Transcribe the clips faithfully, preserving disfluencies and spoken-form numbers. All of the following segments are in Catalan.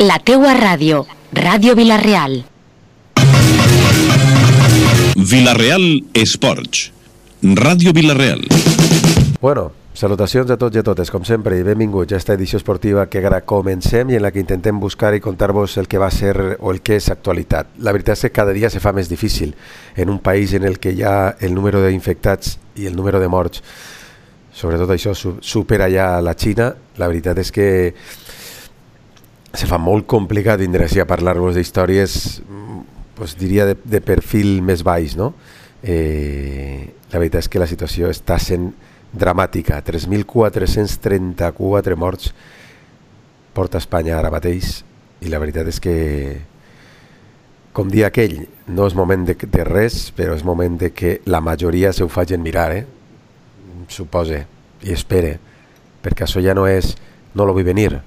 La teua ràdio, Ràdio Vila-real. Vila-real Esports, Ràdio Vila-real. Bueno, salutacions a tots i a totes, com sempre, i benvinguts a esta edició esportiva que ara comencem i en la que intentem buscar i contar-vos el que va ser o el que és actualitat. La veritat és que cada dia se fa més difícil en un país en el que ja el número d'infectats i el número de morts, sobretot això, supera ja la Xina. La veritat és que se fa molt complicat vindre així a parlar-vos d'històries, pues, diria de, de perfil més baix, no? Eh, la veritat és que la situació està sent dramàtica. tres mil quatre-cents trenta-quatre morts porta Espanya ara mateix, i la veritat és que, com dia aquell, no és moment de, de res, però és moment de que la majoria se ho facin mirar, eh? Supose i espere, perquè això ja no és no lo vull venir,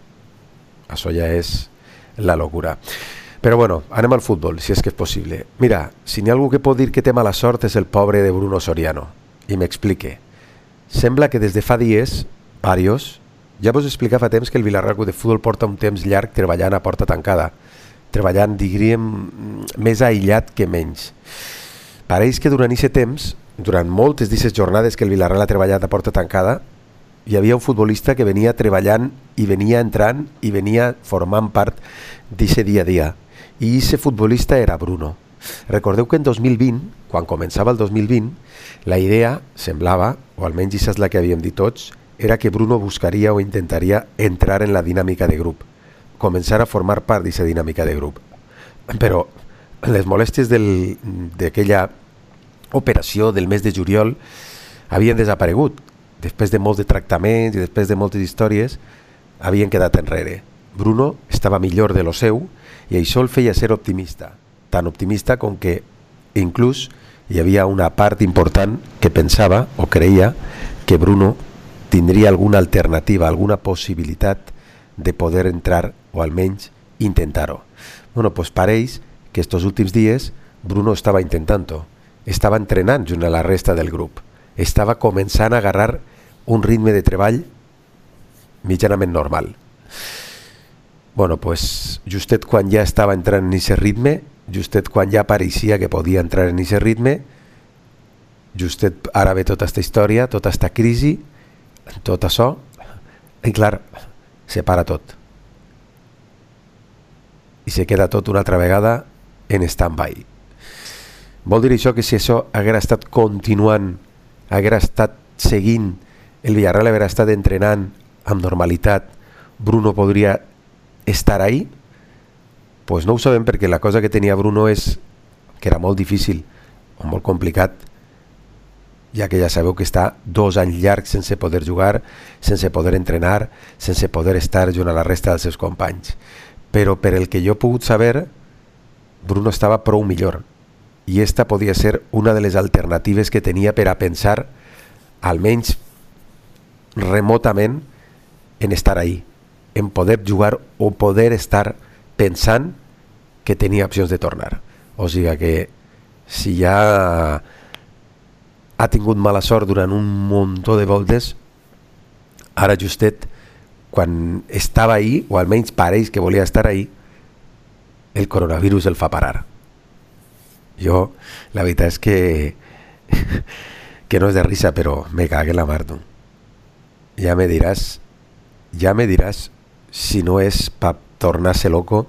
això ja és la locura. Però bueno, anem al futbol, si és que és possible. Mira, si n'hi ha algú que pot dir que té mala sort és el pobre de Bruno Soriano, i m'explique. Sembla que des de fa dies, varios, ja vos explicar fa temps que el Vila-real de Futbol porta un temps llarg treballant a porta tancada, treballant, diríem, més aïllat que menys. Pareix que durant aquest temps, durant moltes d'aquestes jornades que el Vila-real ha treballat a porta tancada, hi havia un futbolista que venia treballant i venia entrant i venia formant part d'aquest dia a dia. I aquest futbolista era Bruno. Recordeu que en dos mil vint, quan començava el dos mil vint, la idea semblava, o almenys això és la que havíem dit tots, era que Bruno buscaria o intentaria entrar en la dinàmica de grup, començar a formar part d'aquesta dinàmica de grup. Però les molèsties d'aquella operació del mes de juliol havien desaparegut. Després de molts de tractaments i després de moltes històries, havien quedat enrere. Bruno estava millor de lo seu i això el feia ser optimista. Tan optimista com que inclús hi havia una part important que pensava o creia que Bruno tindria alguna alternativa, alguna possibilitat de poder entrar o almenys intentar-ho. Bueno, pues pareix que estos últims dies Bruno estava intentant-ho, estava entrenant junt a la resta del grup, estava començant a agarrar un ritme de treball mitjanament normal. Bueno, pues justet quan ja estava entrant en aquest ritme, justet quan ja pareixia que podia entrar en aquest ritme, justet ara ve tota aquesta història, tota aquesta crisi, tot això, i clar, se para tot. I se queda tot una altra vegada en stand-by. Vol dir això que si això haguera estat continuant, haguera estat seguint, el Villarreal haguera estat entrenant amb normalitat, Bruno podria estar ahí? Pues no ho sabem, perquè la cosa que tenia Bruno és que era molt difícil o molt complicat, ja que ja sabeu que està dos anys llargs sense poder jugar, sense poder entrenar, sense poder estar junt a la resta dels seus companys. Però per el que jo he pogut saber, Bruno estava prou millor, i esta podia ser una de les alternatives que tenia per a pensar, almenys remotament, en estar ahí, en poder jugar o poder estar pensant que tenia opcions de tornar. O sigui que si ja ha tingut mala sort durant un muntó de voltes, ara justet quan estava ahí, o almenys pareix que volia estar ahí, el coronavirus el fa parar. Jo, la veritat és que que no és de risa, però me cague la mar, tu. Ja me diràs, ja me diràs si no és per tornar-se loco,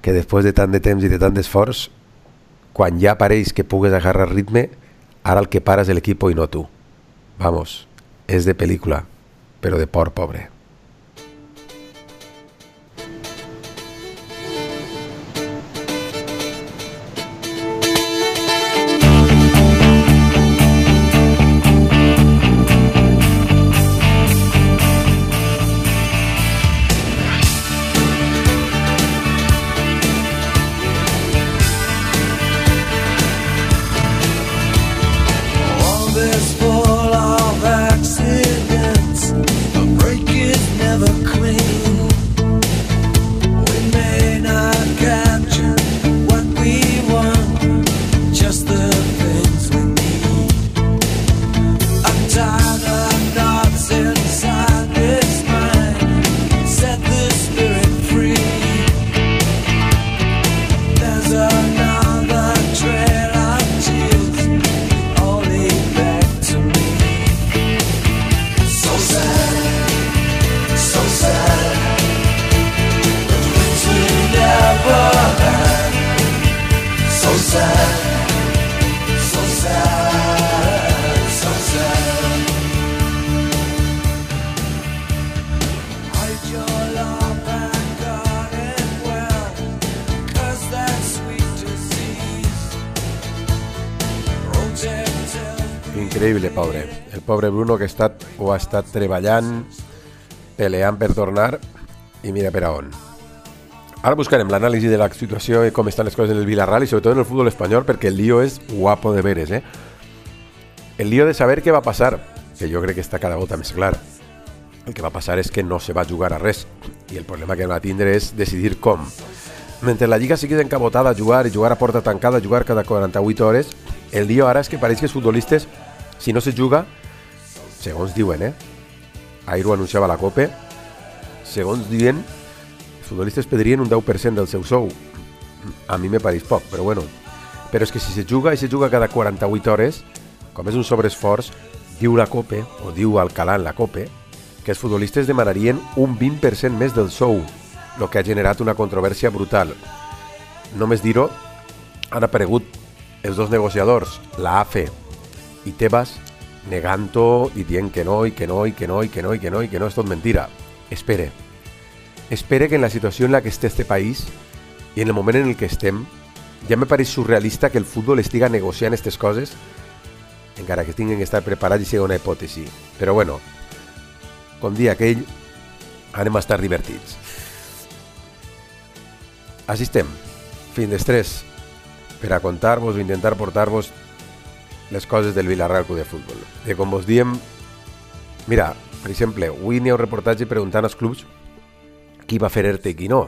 que després de tant de temps i de tant d'esforç, quan ja pareix que pugues agarrar ritme, ara el que pares és l'equip i no tu. Vamos, és de pel·lícula, però de por pobre. Full of accidents, breaking Increïble, pobre. El pobre Bruno que ha estat, o ha estat treballant, peleant per tornar, i mira per a on. Ara buscarem l'anàlisi de la situació i com estan les coses en el Villarreal i sobretot en el futbol espanyol, perquè el lío és guapo de veres, eh? El lío de saber què va passar, que jo crec que està cada volta més clar. El que va passar és que no se va jugar a res, i el problema que va tindre és decidir com. Mentre la Lliga sigui encabotada a jugar i jugar a porta tancada, a jugar cada quaranta-vuit hores, el lío ara és que pareix que els futbolistes, si no se juga, segons diuen, eh? Ahir ho anunciava la COPE, segons diuen, els futbolistes pedrien un deu per cent del seu sou. A mi me pareix poc, però bueno. Però és que si se juga i se juga cada quaranta-vuit hores, com és un sobreesforç, diu la COPE, o diu Alcalá en la COPE, que els futbolistes demanarien un vint per cent més del sou, el que ha generat una controvèrsia brutal. Només dir-ho, han aparegut els dos negociadors, la A F E i Tebas, negant-ho i dient que no, i que no, i que no, i que no, i que no, i que no, és tot mentira. Espere. Espere que en la situació en la que esté este país i en el moment en el que estem, ja me pareix surrealista que el futbol estiga negociant aquestes coses, encara que tinguin que estar preparats i sigui una hipòtesi. Però bueno, com dia aquell, anem a estar divertits. Així estem, fin d'estrès, per a contar-vos o intentar portar-vos les coses del Villarreal Club de Futbol. I com vos diem, mira, per exemple, avui n'hi ha un reportatge preguntant als clubs qui va fer ERTE i qui no.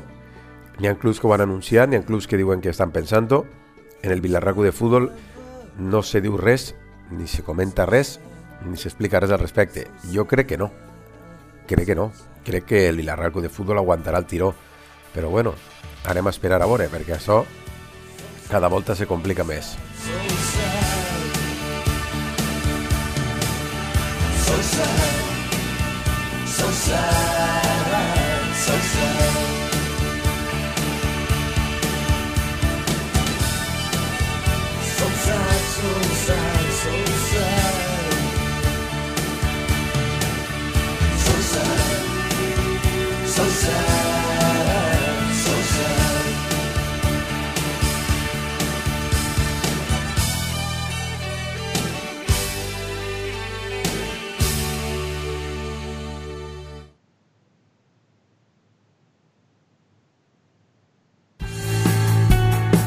N'hi ha clubs que ho han anunciat, n'hi ha clubs que diuen que estan pensant-ho. En el Villarreal Club de Futbol no se diu res, ni se comenta res, ni s'explica res al respecte. Jo crec que no. Crec que no. Crec que el Villarreal Club de Futbol aguantarà el tiró. Però bueno, anem a esperar a veure, perquè això cada volta se complica més. So sad, so sad, so sad. So sad, so sad, so sad. So sad, so sad, so sad.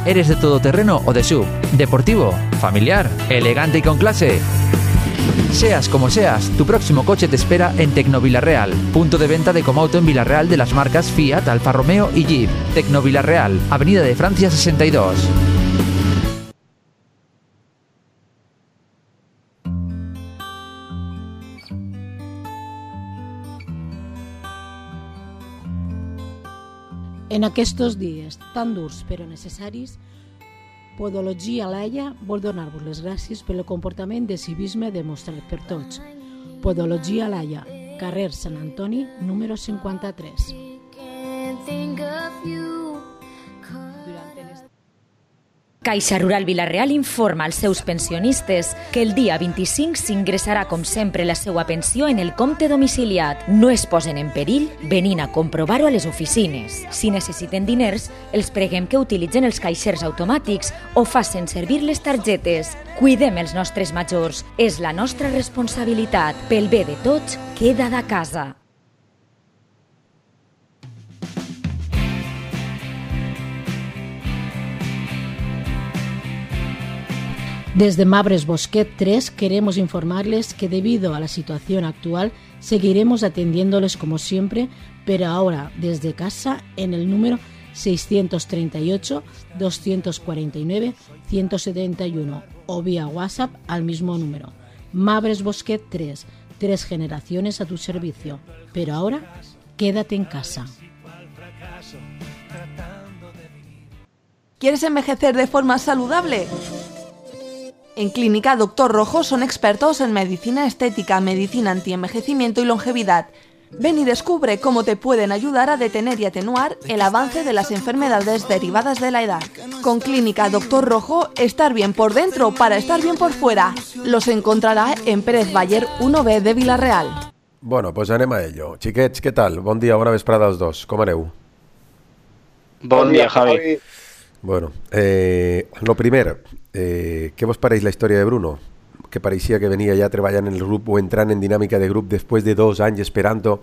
¿Eres de todoterreno o de sub? ¿Deportivo? ¿Familiar? ¿Elegante y con clase? Seas como seas, tu próximo coche te espera en Tecnovillarreal, punto de venta de Comauto en Villarreal de las marcas Fiat, Alfa Romeo y Jeep. Tecnovillarreal, Avenida de Francia sesenta y dos. En aquests dies tan durs però necessaris, Podologia Laia vol donar-vos les gràcies pel comportament de civisme demostrat per tots. Podologia Laia, carrer Sant Antoni, número cinquanta-tres. Caixa Rural Vilareal informa als seus pensionistes que el dia vint-i-cinc s'ingressarà com sempre la seva pensió en el compte domiciliat. No es posen en perill venint a comprovar-ho a les oficines. Si necessiten diners, els preguem que utilitzen els caixers automàtics o facin servir les targetes. Cuidem els nostres majors. És la nostra responsabilitat. Pel bé de tots, queda de casa. Desde Mabres Bosquet tres queremos informarles que debido a la situación actual seguiremos atendiéndoles como siempre, pero ahora desde casa en el número seiscientos treinta y ocho, doscientos cuarenta y nueve, ciento setenta y uno o vía WhatsApp al mismo número. Mabres Bosquet tres, tres generaciones a tu servicio, pero ahora quédate en casa. ¿Quieres envejecer de forma saludable? En Clínica Doctor Rojo son expertos en medicina estética, medicina antienvejecimiento y longevidad. Ven y descubre cómo te pueden ayudar a detener y atenuar el avance de las enfermedades derivadas de la edad. Con Clínica Doctor Rojo, estar bien por dentro para estar bien por fuera. Los encontrará en Pérez Baller uno B de Vila-real. Bueno, pues anem a ello. Xiquets, què tal? Bon dia, bona vesprada als dos. Com aneu? Bon dia, Javi. Bueno, eh, lo primer, eh, què vos pareix la història de Bruno? Que pareixia que venia ja treballant en el grup o entrant en dinàmica de grup després de dos anys esperant-ho,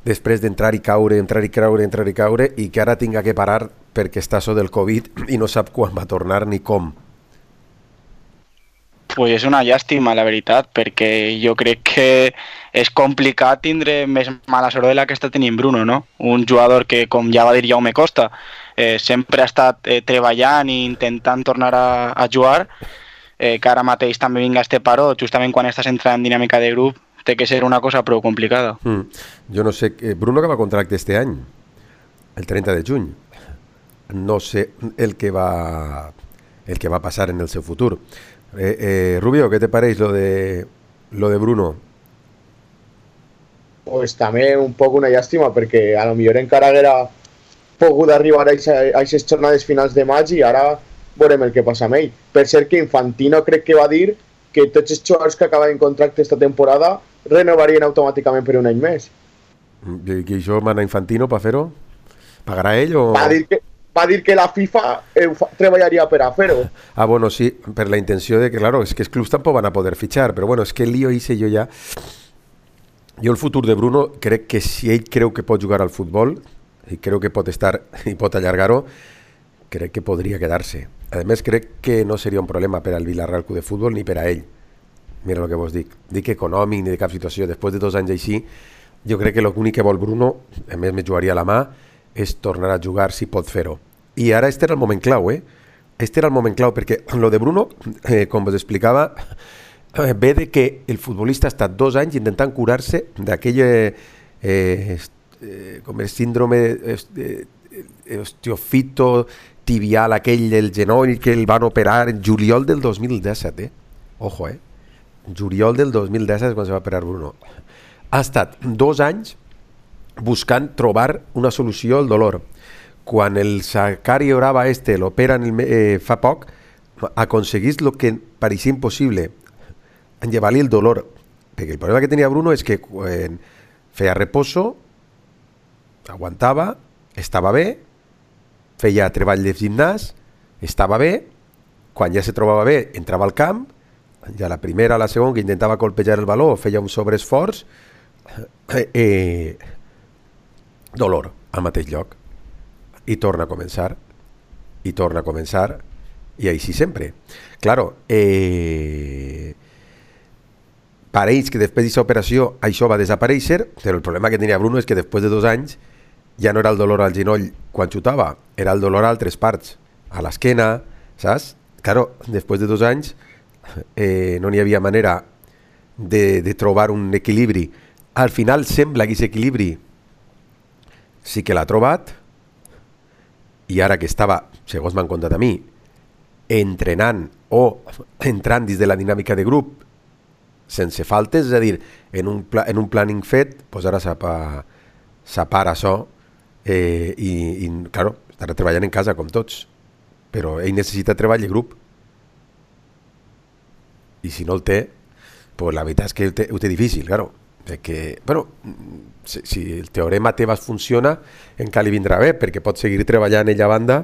després d'entrar i caure, entrar i caure, entrar i caure, i que ara tinga que parar perquè està so del Covid i no sap quan va tornar ni com. Pues és una llàstima, la veritat, perquè jo crec que és complicat tindre més mala sort de la que està tenint Bruno, no? Un jugador que, com ja va dir Jaume Costa, eh, sempre ha estat eh, treballant i intentant tornar a, a jugar, eh, que ara mateix també vinga este paró, justament quan estàs entrant en dinàmica de grup, té que ser una cosa prou complicada. Mm. Jo no sé, eh, Bruno acaba contracte este any, el trenta de juny. No sé el que va, el que va passar en el seu futur. Eh, eh, Rubio, ¿qué te parece lo de lo de Bruno? Pues també un poc una llàstima, perquè a lo millor encara haguera pogut arribar a aquestes jornades finals de maig i ara veurem el que passa amb ell. Per cert que Infantino crec que va dir que tots els jugadors que acaben contracte esta temporada renovarien automàticament per un any més. I, i això mana Infantino per fer-ho? Pagarà ell o...? Va dir que, va dir que la FIFA eh, treballaria per a fer-ho. Ah, bueno, sí, per la intenció de que, claro, es que els clubs tampoc van a poder fichar, però bueno, es que el lío hice jo ja... Jo el futur de Bruno crec que si ell creu que pot jugar al futbol i creu que pot estar i pot allargar-ho, crec que podria quedar-se. A més, crec que no seria un problema per al Villarreal Club de Futbol ni per a ell. Mira el que vos dic. Dic econòmic ni de cap situació. Després de dos anys així, jo crec que l'únic que vol Bruno, a més me jugaria a la mà, és tornar a jugar si pot fer-ho. I ara este era el moment clau, eh? Este era el moment clau, perquè lo de Bruno, eh, com vos explicava, eh, ve de que el futbolista ha estat dos anys intentant curar-se d'aquell eh, eh, com el síndrome eh, osteofito tibial, aquell del genoll que el van operar en juliol del dos mil disset, eh? Ojo, eh? Juliol del dos mil disset és quan se va operar Bruno. Ha estat dos anys buscant trobar una solució al dolor. Quan el Sakari Orava este l'operen eh, fa poc, aconseguís el que pareixia impossible, enllevar-li el dolor. Perquè el problema que tenia Bruno és que quan feia reposo, aguantava, estava bé, feia treball de gimnàs, estava bé, quan ja se trobava bé, entrava al camp, ja la primera, la segona, que intentava colpejar el baló, feia un sobreesforç, eh, eh, dolor al mateix lloc. I torna a començar, i torna a començar, i així sempre. Claro, eh, pareix que després d'aquesta operació això va desaparèixer, però el problema que tenia Bruno és que després de dos anys ja no era el dolor al genoll quan xutava, era el dolor a altres parts, a l'esquena, saps? Claro, després de dos anys eh, no n'hi havia manera de, de trobar un equilibri. Al final sembla que aquest equilibri sí que l'ha trobat, i ara que estava, segons m'han contat a mi, entrenant o entrant dins de la dinàmica de grup sense faltes, és a dir, en un, pla, en un planning fet, doncs ara s'apara això eh, i, i, claro, estarà treballant en casa com tots, però ell necessita treball de grup i si no el té, pues la veritat és que ho té, ho té difícil, claro, perquè, bueno, si, si el teorema Tebas funciona, encara li vindrà bé, perquè pot seguir treballant ella a banda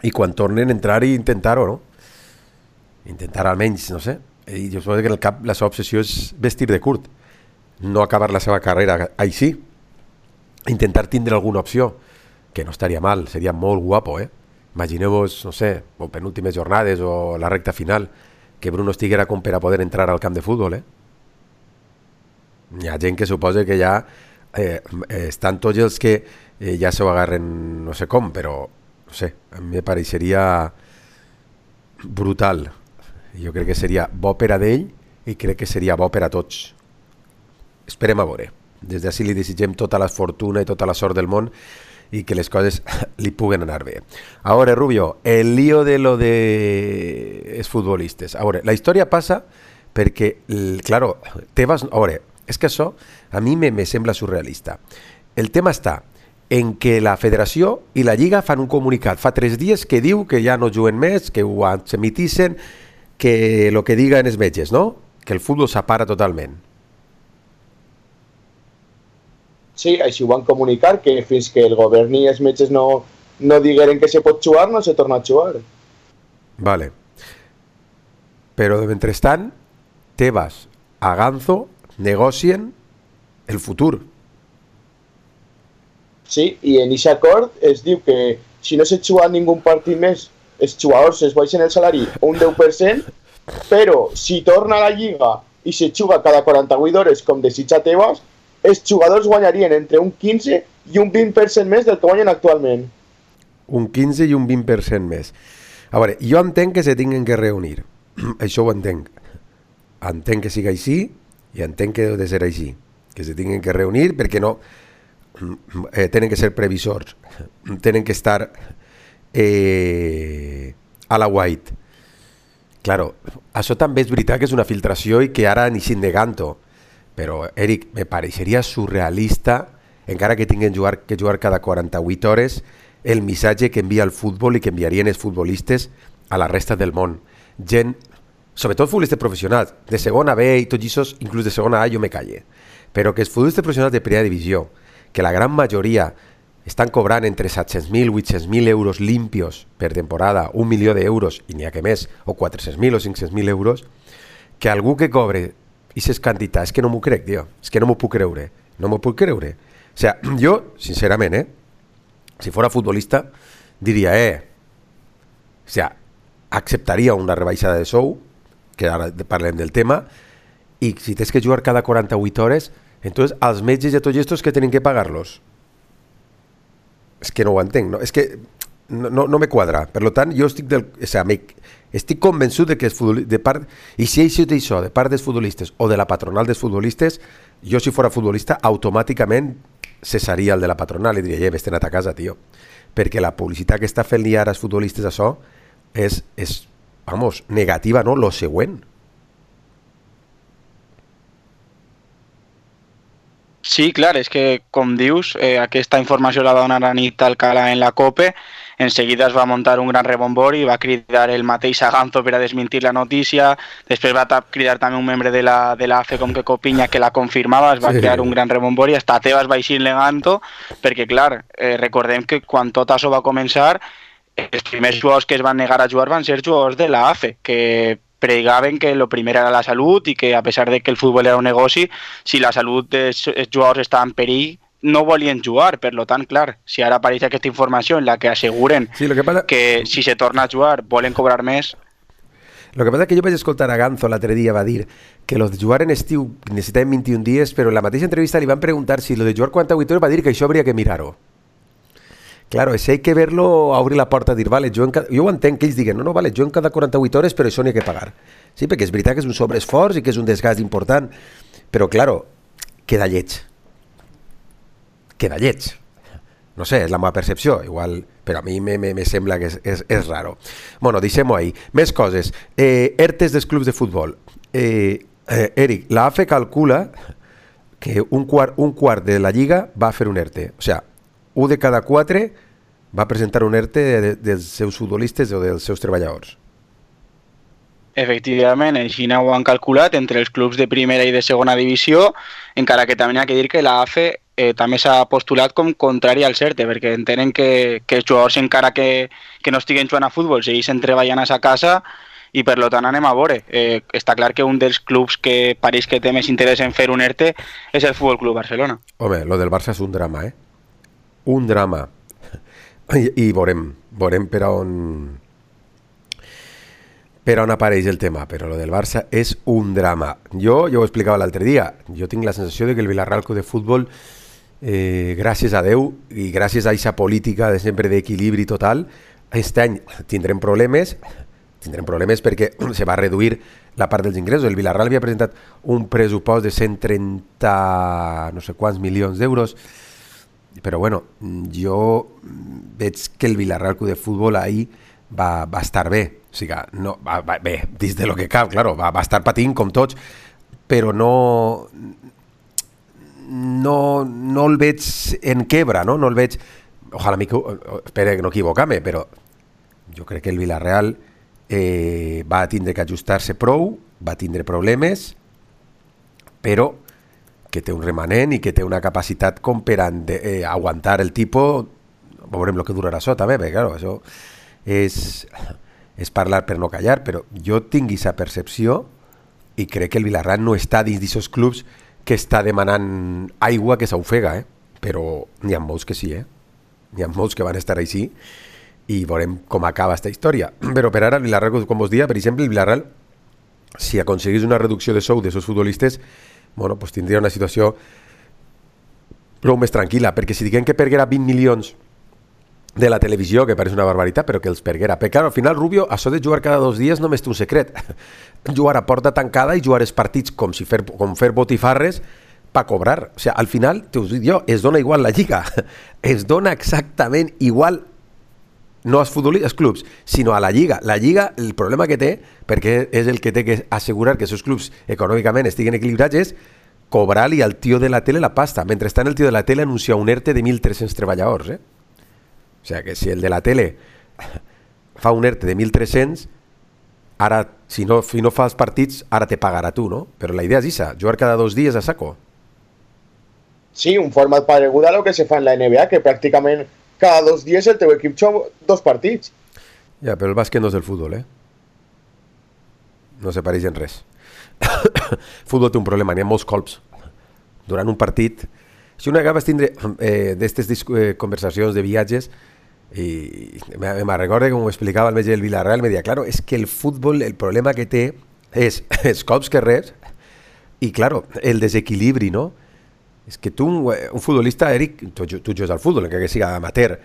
i quan tornen entrar i intentar-ho, no? Intentar almenys, no sé, i jo suposo que en el cap la seva obsessió és vestir de curt, no acabar la seva carrera així, intentar tindre alguna opció, que no estaria mal, seria molt guapo, eh? Imagineu-vos, no sé, o penúltimes jornades o la recta final, que Bruno estiguera com per a poder entrar al camp de futbol, eh? Hi ha gent que suposa que ja eh, estan tots els que eh, ja s'ho agarren no sé com, però no sé, a mi me pareixeria brutal. Jo crec que seria bo per a d'ell i crec que seria bo per a tots. Esperem a veure. Des d'ací li desitgem tota la fortuna i tota la sort del món y que les coses li puguen anar bé. Ahora, Rubio, el lío de lo de els futbolistes. Ahora, la història passa perquè, claro, Tebas, ahora, És que això a mi me, me sembla surrealista. El tema està en que la federació i la Lliga fan un comunicat fa tres dies que diu que ja no juguen més, que ho admitissen, que el que diguen els metges, no? Que el futbol s'apara totalment. Sí, així ho van comunicar, que fins que el govern i els metges no, no digueren que se pot jugar, no se torna a jugar. Vale. Però de mentrestant, Tebas, Aganzo, negocien el futur. Sí, i en aquest acord es diu que si no se juga ningú partit més, els jugadors es baixen el salari un deu per cent, però si torna a la Lliga i se juga cada quaranta-vuit hores com desitja Tebas, els jugadors guanyarien entre un quinze i un vint per cent més del que guanyen actualment. Un quinze i un vint per cent més. A veure, jo entenc que se tinguin que reunir. Això ho entenc. Entenc que sigui així i entenc que deu de ser així. Que se tinguin que reunir perquè no... Eh, tenen que ser previsors, tenen que estar eh, a la white. Claro, això també és veritat que és una filtració i que ara ni sin negant-ho, però Eric, me pareixeria surrealista, encara que tinguin jugar, que jugar cada quaranta-vuit hores, el missatge que envia el futbol i que enviarien els futbolistes a la resta del món. Gent, sobretot futbolistes professionals, de segona B i tots això, inclús de segona A, jo me calle, però que els futbolistes professionals de primera divisió, que la gran majoria estan cobrant entre set-cents mil, vuit-cents mil euros limpios per temporada, un milió d'euros, i n'hi ha que més, o quatre-cents mil o cinc-cents mil euros, que algú que cobre aquestes quantitats, és que no m'ho crec, tio, és que no m'ho puc creure, no m'ho puc creure. O sea, jo, sincerament, eh, si fora futbolista, diria, eh, o sea, acceptaria una rebaixada de sou, que ara parlem del tema, i si tens que jugar cada quaranta-vuit hores, entonces als metges i a tots estos que tenen que pagar-los. És que no ho entenc, no? És que no, no, no me quadra. Per tant, jo estic, del, o sea, me, estic convençut de que de part, i si això d'això, de part dels futbolistes o de la patronal dels futbolistes, jo si fora futbolista automàticament cessaria el de la patronal i diria, eh, vés-te'n a ta casa, tio. Perquè la publicitat que està fent-li ara als futbolistes això és, és, vamos, negativa, no? Lo següent. Sí, clar, és que, com dius, eh, aquesta informació la va donar a nit Alcalá en la COPE, en seguida es va muntar un gran rebombori, va cridar el mateix Aganzo per a desmentir la notícia, després va cridar també un membre de la, de la A F E com que Copinya que la confirmava, es va sí. crear un gran rebombori, hasta Tebas va eixir negant-ho, perquè clar, eh, recordem que quan tot això va començar, els primers jugadors que es van negar a jugar van ser jugadors de la A F E, que pregaven que lo primer era la salut i que a pesar de que el futbol era un negoci, si la salut dels jugadors estava en perill, no volien jugar. Per lo tant, clar, si ara apareix aquesta informació en la que asseguren sí, lo que, pasa... que si se torna a jugar volen cobrar més... Lo que passa és que jo vaig escoltar a Ganzo l'altre dia, va dir que los de jugar en estiu necessitaven vint-i-un dies, però en la mateixa entrevista li van preguntar si lo de jugar quaranta-vuit hores, va dir que això hauria que mirar-ho. Claro, si hay que verlo, abrir la porta, dir, vale, jo, en cada... jo ho entenc que ells diguen, no, no, vale, jo en cada quaranta-vuit hores, però això n'hi ha que pagar. Sí, perquè és veritat que és un sobreesforç i que és un desgast important, però, claro, queda lleig. Queda lleig. No sé, és la meva percepció, igual, però a mi me, me, me sembla que és, és, és raro. Bueno, deixem-ho ahí. Més coses. Eh, ERTES dels clubs de futbol. Eh, eh, Eric, la A F E calcula que un quart, un quart de la Lliga va fer un ERTE. O sea, un de cada quatre va presentar un ERTE de, dels seus futbolistes o dels seus treballadors. Efectivament, així ho han calculat entre els clubs de primera i de segona divisió, encara que també hi ha que dir que la A F E eh, també s'ha postulat com contrari al ERTE, perquè entenen que, que els jugadors, encara que, que no estiguen jugant a futbol, segueixen treballant a sa casa i per lo tant anem a veure. Eh, està clar que un dels clubs que pareix que té més interès en fer un ERTE és el Futbol Club Barcelona. Home, lo del Barça és un drama, eh? Un drama. I, i veurem, veurem per on per on apareix el tema, però lo del Barça és un drama. Jo, jo ho explicava l'altre dia, jo tinc la sensació de que el Villarreal Club de Futbol, eh, gràcies a Déu i gràcies a aquesta política de sempre d'equilibri total, aquest any tindrem problemes, tindrem problemes perquè se va reduir la part dels ingressos. El Villarreal havia presentat un pressupost de cent trenta no sé quants milions d'euros, però bueno, jo veig que el Villarreal Club de Futbol ahir va, va estar bé, o sigui, no, va, va, bé, dins de lo que cal, claro, va, va estar patint com tots, però no, no, no el veig en quebra, no? No el veig... Ojalà, espero que no equivocar-me, però jo crec que el Villarreal eh, va tindre que ajustar-se prou, va tindre problemes, però que té un remanent i que té una capacitat com per ande, eh, aguantar el tipus. Veurem el que durarà això també, perquè claro, això és, és parlar per no callar, però jo tinc aquesta percepció i crec que el Villarreal no està dins d'aquests clubs que està demanant aigua que s'ofega, eh? Però n'hi ha molts que sí, eh? N'hi ha molts que van estar així i veurem com acaba aquesta història. Però per ara el Villarreal, com vos dia, per exemple, el Villarreal, si aconseguís una reducció de sou de seus futbolistes, bueno, pues tindria una situació prou més tranquil·la, perquè si diguem que perguera vint milions de la televisió, que pareix una barbaritat, però que els perguera. Perquè, clar, al final, Rubio, això de jugar cada dos dies només té un secret. Jugar a porta tancada i jugar els partits com si fer, com fer botifarres per cobrar. O sigui, al final, t'ho dic jo, es dona igual la lliga. Es dona exactament igual, no als futbolistes, als clubs, sinó a la lliga. La lliga, el problema que té, perquè és el que té que assegurar que els seus clubs econòmicament estiguen equilibrats, és cobrar-li al tio de la tele la pasta. Mentrestant, el tio de la tele anuncia un ERTE de mil tres-cents treballadors, eh? O sigui, que si el de la tele fa un ERTE de mil tres-cents, ara, si no, si no fa els partits, ara te pagarà tu, no? Però la idea és això, jugar cada dos dies a saco. Sí, un format paregut a lo que se fa en la N B A, que pràcticament cada dos dies el teu equip juga dos partits. Ja, però el bàsquet no és el futbol, eh? No se pareix en res. El futbol té un problema, n'hi ha molts colps. Durant un partit, si una vegada vas tindre eh, d'aquestes eh, conversacions de viatges, i me, me recordo que m'ho explicava el metge del Villarreal, me deia, claro, és que el futbol, el problema que té és els cops que reps i, claro, el desequilibri, no? És que tu, un, un futbolista, Eric, tu, tu jugues al futbol, encara que siga amateur,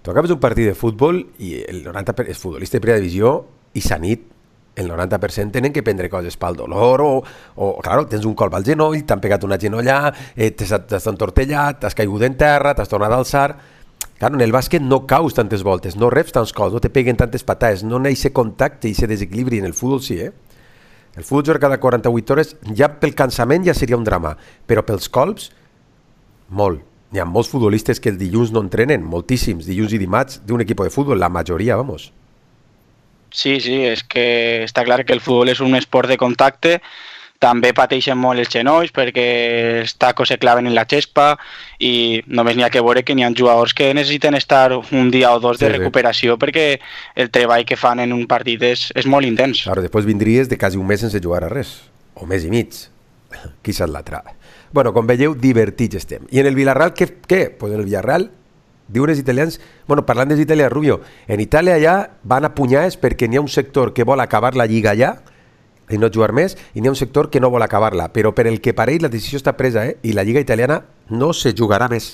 tu acabes un partit de futbol i el noranta per cent és futbolista de primera divisió i s'ha nit, el noranta per cent tenen que prendre coses pel dolor o, o claro, tens un colp al genoll, t'han pegat una genollà, eh, t'has entortellat, t'has caigut en terra, t'has tornat a alçar. Claro, en el bàsquet no caus tantes voltes, no reps tants cops, no te peguen tantes patades, no n'hi ha aquest contacte i aquest desequilibri. En el futbol sí, eh? El futbol jugar cada quaranta-vuit hores, ja pel cansament ja seria un drama, però pels colps, molt. Hi ha molts futbolistes que el dilluns no entrenen, moltíssims, dilluns i dimarts d'un equip de futbol, la majoria, vamos. Sí, sí, és que està clar que el futbol és un esport de contacte, també pateixen molt els genolls perquè els tacos se claven en la xespa i només n'hi ha que veure que n'hi ha jugadors que necessiten estar un dia o dos de sí, recuperació sí. Perquè el treball que fan en un partit és, és molt intens. Claro, després vindries de quasi un mes sense jugar a res, o mes i mig, qui sap l'altre. Bueno, com veieu, divertits estem. I en el Villarreal, què? què? Pues en el Villarreal diuen els italians, bueno, parlant dels italians, Rubio, en Itàlia ja van a punyades perquè n'hi ha un sector que vol acabar la lliga ja i no jugar més, i n'hi ha un sector que no vol acabar-la, però per el que pareix la decisió està presa, eh? I la lliga italiana no se jugarà més.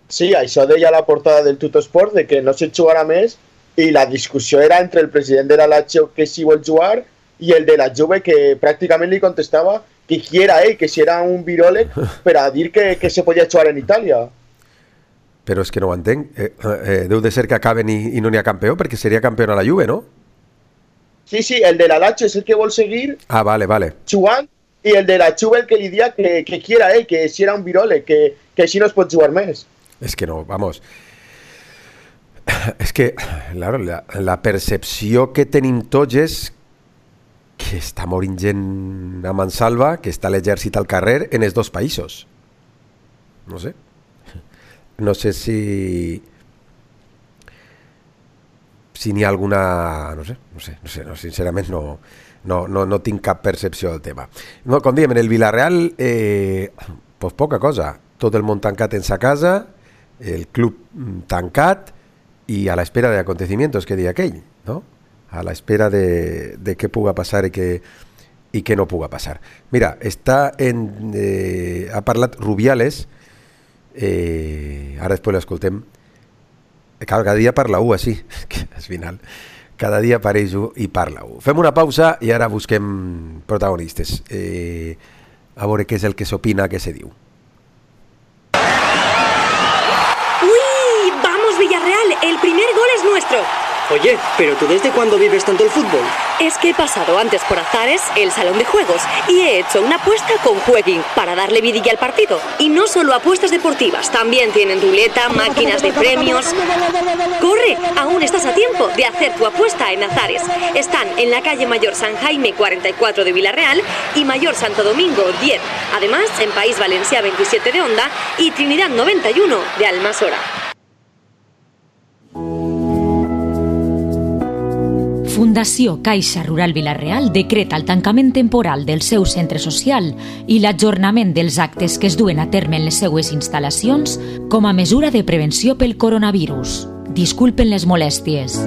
Sí, això deia la portada del Tuttosport, de que no se jugarà més, i la discussió era entre el president de la Lazio que sí vol jugar i el de la Juve que pràcticament li contestava que qui era ell, que si era un viròleg per a dir que, que se podia jugar en Itàlia. Però és que no ho entenc. Eh, eh, deu de ser que acaben i, i no n'hi ha campió, perquè seria campió a la Juve, no? Sí, sí, el de la Lazio és el que vol seguir ah, vale, vale. jugant, i el de la Juve el que li dia que, que qui era ell, que si era un viròleg, que, que així no es pot jugar més. És que no, vamos... És que, claro, la, la percepció que tenim tots és que està morint gent a mansalva, que està l'exèrcit al carrer en els dos països. No sé. No sé si... si n'hi ha alguna... No sé, no sé, no sé, no, sincerament no, no, no, no tinc cap percepció del tema. No, com diem, en el Villarreal, eh, pues poca cosa. Tot el món tancat en sa casa, el club tancat i a l'espera de acontecimientos, que deia aquell, no? A l'espera de, de què puga passar i què, i què no puga passar. Mira, està en, eh, ha parlat Rubiales, eh, ara després l'escoltem, cada dia parla u, així, que al final, cada dia apareix u i parla u. Fem una pausa i ara busquem protagonistes. Eh, a veure què és el que s'opina, què se diu. ¡Uy! ¡Vamos, Villarreal! ¡El primer gol es nuestro! Oye, ¿pero tú desde cuándo vives tanto el fútbol? Es que he pasado antes por Azares, el salón de juegos, y he hecho una apuesta con Jueguin para darle vidilla al partido. Y no solo apuestas deportivas, también tienen ruleta, máquinas de premios. ¡Corre! Aún estás a tiempo de hacer tu apuesta en Azares. Están en la calle Mayor San Jaime cuarenta y cuatro de Villarreal y Mayor Santo Domingo diez. Además, en País Valencià veintisiete de Onda y Trinidad noventa y uno de Almasora. Fundació Caixa Rural Vila-real decreta el tancament temporal del seu centre social i l'ajornament dels actes que es duen a terme en les seues instal·lacions com a mesura de prevenció pel coronavirus. Disculpen les molèsties.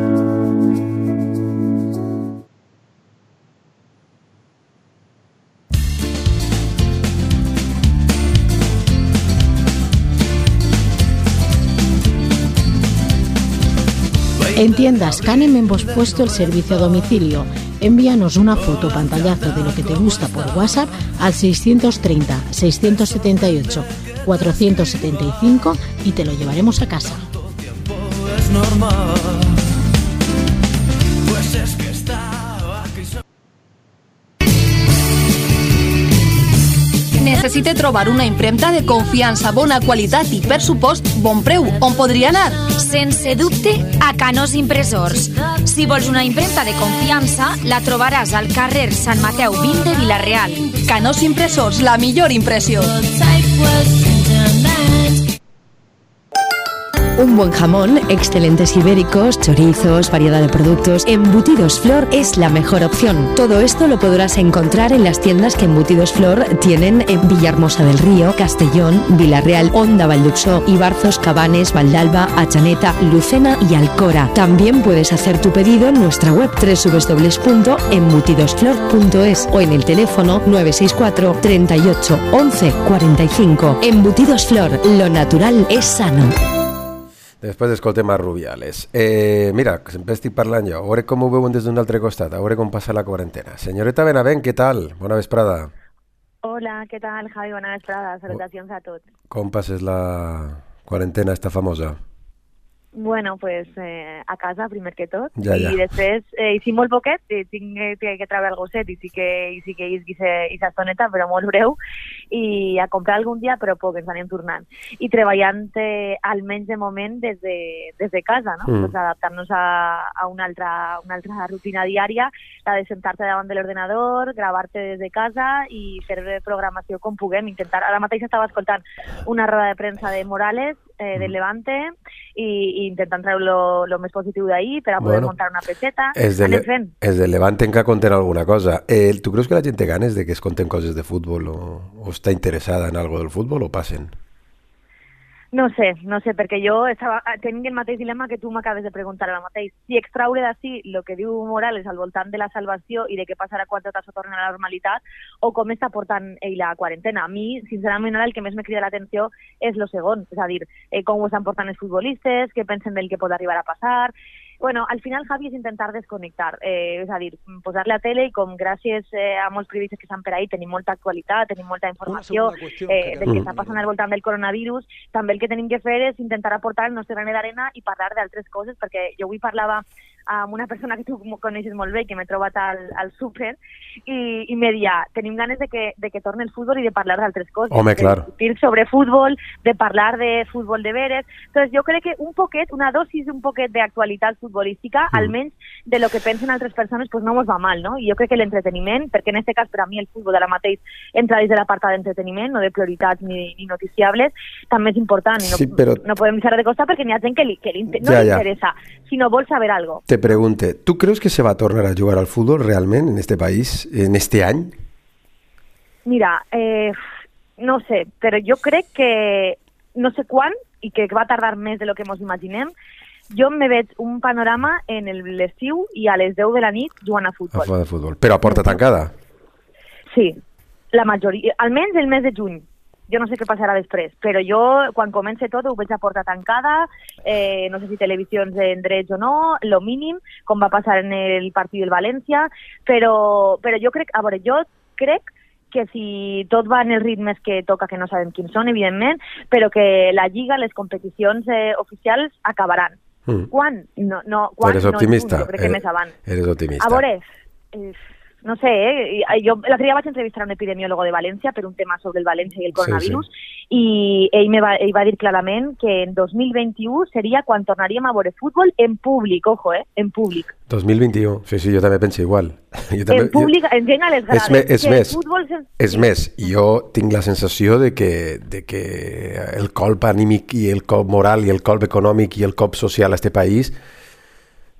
En tiendas Canem hemos puesto el servicio a domicilio. Envíanos una foto o pantallazo de lo que te gusta por WhatsApp al seiscientos treinta, seiscientos setenta y ocho, cuatrocientos setenta y cinco y te lo llevaremos a casa. Necessite trobar una impremta de confiança, bona qualitat i, per supost, bon preu. On podria anar? Sense dubte, a Canós Impressors. Si vols una impremta de confiança, la trobaràs al carrer Sant Mateu vint de Vila-real. Canós Impressors, la millor impressió. Un buen jamón, excelentes ibéricos, chorizos, variedad de productos. Embutidos Flor es la mejor opción. Todo esto lo podrás encontrar en las tiendas que Embutidos Flor tienen en Villahermosa del Río, Castellón, Villarreal, Onda, Valduxó, Ibarzos, Cabanes, Valdalba, Achaneta, Lucena y Alcora. También puedes hacer tu pedido en nuestra web doble u doble u doble u punto embutidosflor punto es o en el teléfono nueve seis cuatro, treinta y ocho, once, cuarenta y cinco. Embutidos Flor, lo natural es sano. Després escoltem a Rubiales. Eh, mira, sempre estic parlant jo. A veure com ho veuen des d'un altre costat, a veure com passa la quarantena. Senyoreta Benavent, què tal? Bona vesprada. Hola, què tal, Javi? Bona vesprada. Salutacions a tots. Com passes la quarantena esta famosa? Bueno, pues eh, a casa, primer que tot. Ja, ja. I després, eh, i sí molt poquet, eh, tinc que, que treure el gosset i sí que, i sí que isqui aquesta estoneta, però molt breu, i a comprar algun dia, però poc, ens anem tornant. I treballant eh, almenys de moment des de, des de casa, no? Mm. Pues adaptant-nos a, a una, altra, una altra rutina diària, la de sentar-te davant de l'ordenador, gravar-te des de casa i fer programació com puguem, intentar. Ara mateix estava escoltant una roda de premsa de Morales, eh, del Levante, i, i intentant treure lo, lo més positiu d'ahir per a poder bueno, muntar una peixeta. És de, le, és de Levante que conten alguna cosa. Eh, tu creus que la gent té ganes de que es conten coses de futbol o, o està interessada en algo del futbol o passen? No sé, no sé, perquè jo estava tenint el mateix dilema que tu m'acabes de preguntar ara mateix. Si extraure d'ací el que diu Morales al voltant de la salvació i de què passarà quan tot això torni a la normalitat o com està portant ell la quarantena. A mi, sincerament, ara el que més me crida l'atenció és lo segon, és a dir, eh, com ho estan portant els futbolistes, què pensen del que pot arribar a passar. Bueno, al final, Javi, és intentar desconnectar, eh, és a dir, posar-le a tele i com gràcies eh, a molts periodistes que estan per ahí tenim molta actualitat, tenim molta informació eh, del que està passant al voltant del coronavirus, també el que tenim que fer és intentar aportar el nostre granet d'arena i parlar d'altres coses, perquè jo avui parlava amb una persona que tu coneixes molt bé, que m'he trobat al, al súper, i, i me deia, tenim ganes de que, de que torni el futbol i de parlar d'altres coses. Home, de clar. discutir sobre futbol, de parlar de futbol de veres. Entonces, jo crec que un poquet, una dosis un poquet d'actualitat futbolística, mm. almenys de lo que pensen altres persones, pues no mos va mal, no? I jo crec que l'entreteniment, perquè en aquest cas per a mi el futbol ara mateix entra dins de l'apartat d'entreteniment, no de prioritats ni, ni noticiables, també és important. I no, sí, però... no podem deixar de costar perquè n'hi ha gent que, li, que li, no ja, li ja. interessa, sinó vol saber algo. Te pregunte, ¿tú crees que se va a tornar a jugar al fútbol realmente en este país, en este año? Mira, eh, no sé, però jo crec que no sé quan i que va tardar més de lo que ens imaginem. Jo me veig un panorama en l'estiu i a les deu de la nit jugant a futbol. A futbol. Però a porta tancada? Sí, la majoria, almenys el mes de juny. Jo no sé què passarà després, però jo, quan comença tot, ho veig a porta tancada, eh, no sé si televisions en drets o no, lo mínim, com va passar en el partit del València, però, però jo crec, a veure, jo crec que si tot va en els ritmes que toca, que no sabem quins són, evidentment, però que la Lliga, les competicions eh, oficials acabaran. Mm. Quan? No, no, quan? Eres optimista. No, jo crec que eres, més avant. Eres optimista. A veure, eh, no sé, eh? jo l'altre dia vaig entrevistar un epidemiòlogo de València per un tema sobre el València i el coronavirus, sí, sí. i ell, me va, ell va dir clarament que en dos mil vint-i-u seria quan tornaríem a veure futbol en públic, ojo, eh, en públic. dos mil vint-i-u, sí, sí, jo també penso igual. Jo també, en públic, jo... en gent a les grades. És, me, és, més, futbol... és més, jo tinc la sensació de que, de que el colp anímic i el colp moral i el colp econòmic i el colp social a este país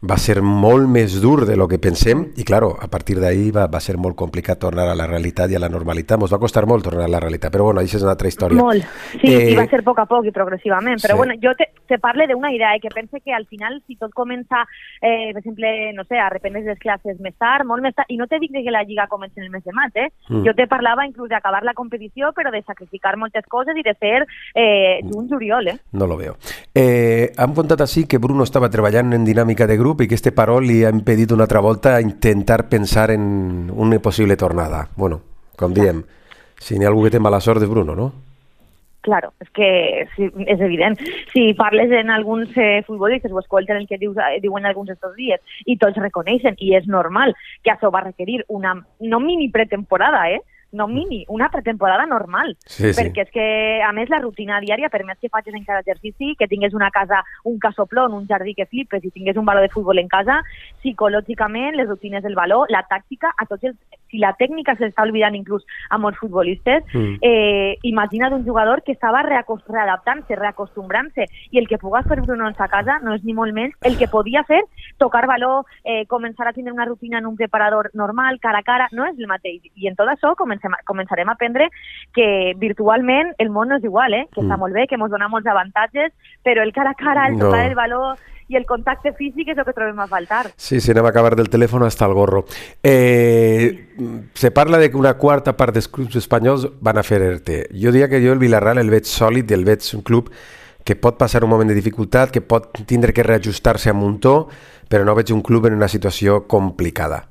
va ser molt més dur de lo que pensem i, claro, a partir d'ahí va, va ser molt complicat tornar a la realitat i a la normalitat. Ens va costar molt tornar a la realitat, però bueno, això és una altra història. Molt, sí, eh... i va ser a poc a poc i progressivament, però sí. Bueno, jo te, te parle d'una idea, eh, que pense que al final, si tot comença, eh, per exemple, no sé, a reprendre les classes més tard, molt més tard, i no te dic que la Lliga comenci en el mes de maig, eh? Mm. Jo te parlava inclús d'acabar la competició, però de sacrificar moltes coses i de fer eh, juny, juliol, eh? No lo veo. Eh, hem contat així que Bruno estava treballant en dinàmica de grup i que este paro li ha impedit una altra volta a intentar pensar en una possible tornada. Bueno, com diem, si n'hi ha algú que té mala sort és Bruno, no? Claro, és que sí, és evident. Si parles en alguns eh, futbolistes o escolten el que dius, eh, diuen alguns estos dies i tots reconeixen, i és normal que això va requerir una, no mini pretemporada, eh? no mini, una pretemporada normal, sí, sí. Perquè és que, a més, la rutina diària, per més que facis encara exercici, que tingués una casa, un casoplon, un jardí que flipes i tingués un baló de futbol en casa, psicològicament, les rutines del baló, la tàctica, a tots els, si la tècnica s'està oblidant inclús a molts futbolistes, mm. eh, imagina't un jugador que estava readaptant-se, reacostumbrant-se, i el que puga fer Bruno en sa casa no és ni molt menys el que podia fer, tocar baló, eh, començar a tenir una rutina en un preparador normal, cara a cara, no és el mateix. I en tot això comencem començarem a aprendre que virtualment el món no és igual, eh? que mm. està molt bé, que ens dona molts avantatges, però el cara a cara, el tocar no. el baló i el contacte físic és el que trobem a faltar. Sí, sí, anem a acabar del telèfon hasta el gorro. Eh, se parla de que una quarta part dels clubs espanyols van a fer E R T. Jo diria que jo el Villarreal el veig sòlid, el veig un club que pot passar un moment de dificultat, que pot tindre que reajustar-se a muntó, però no veig un club en una situació complicada.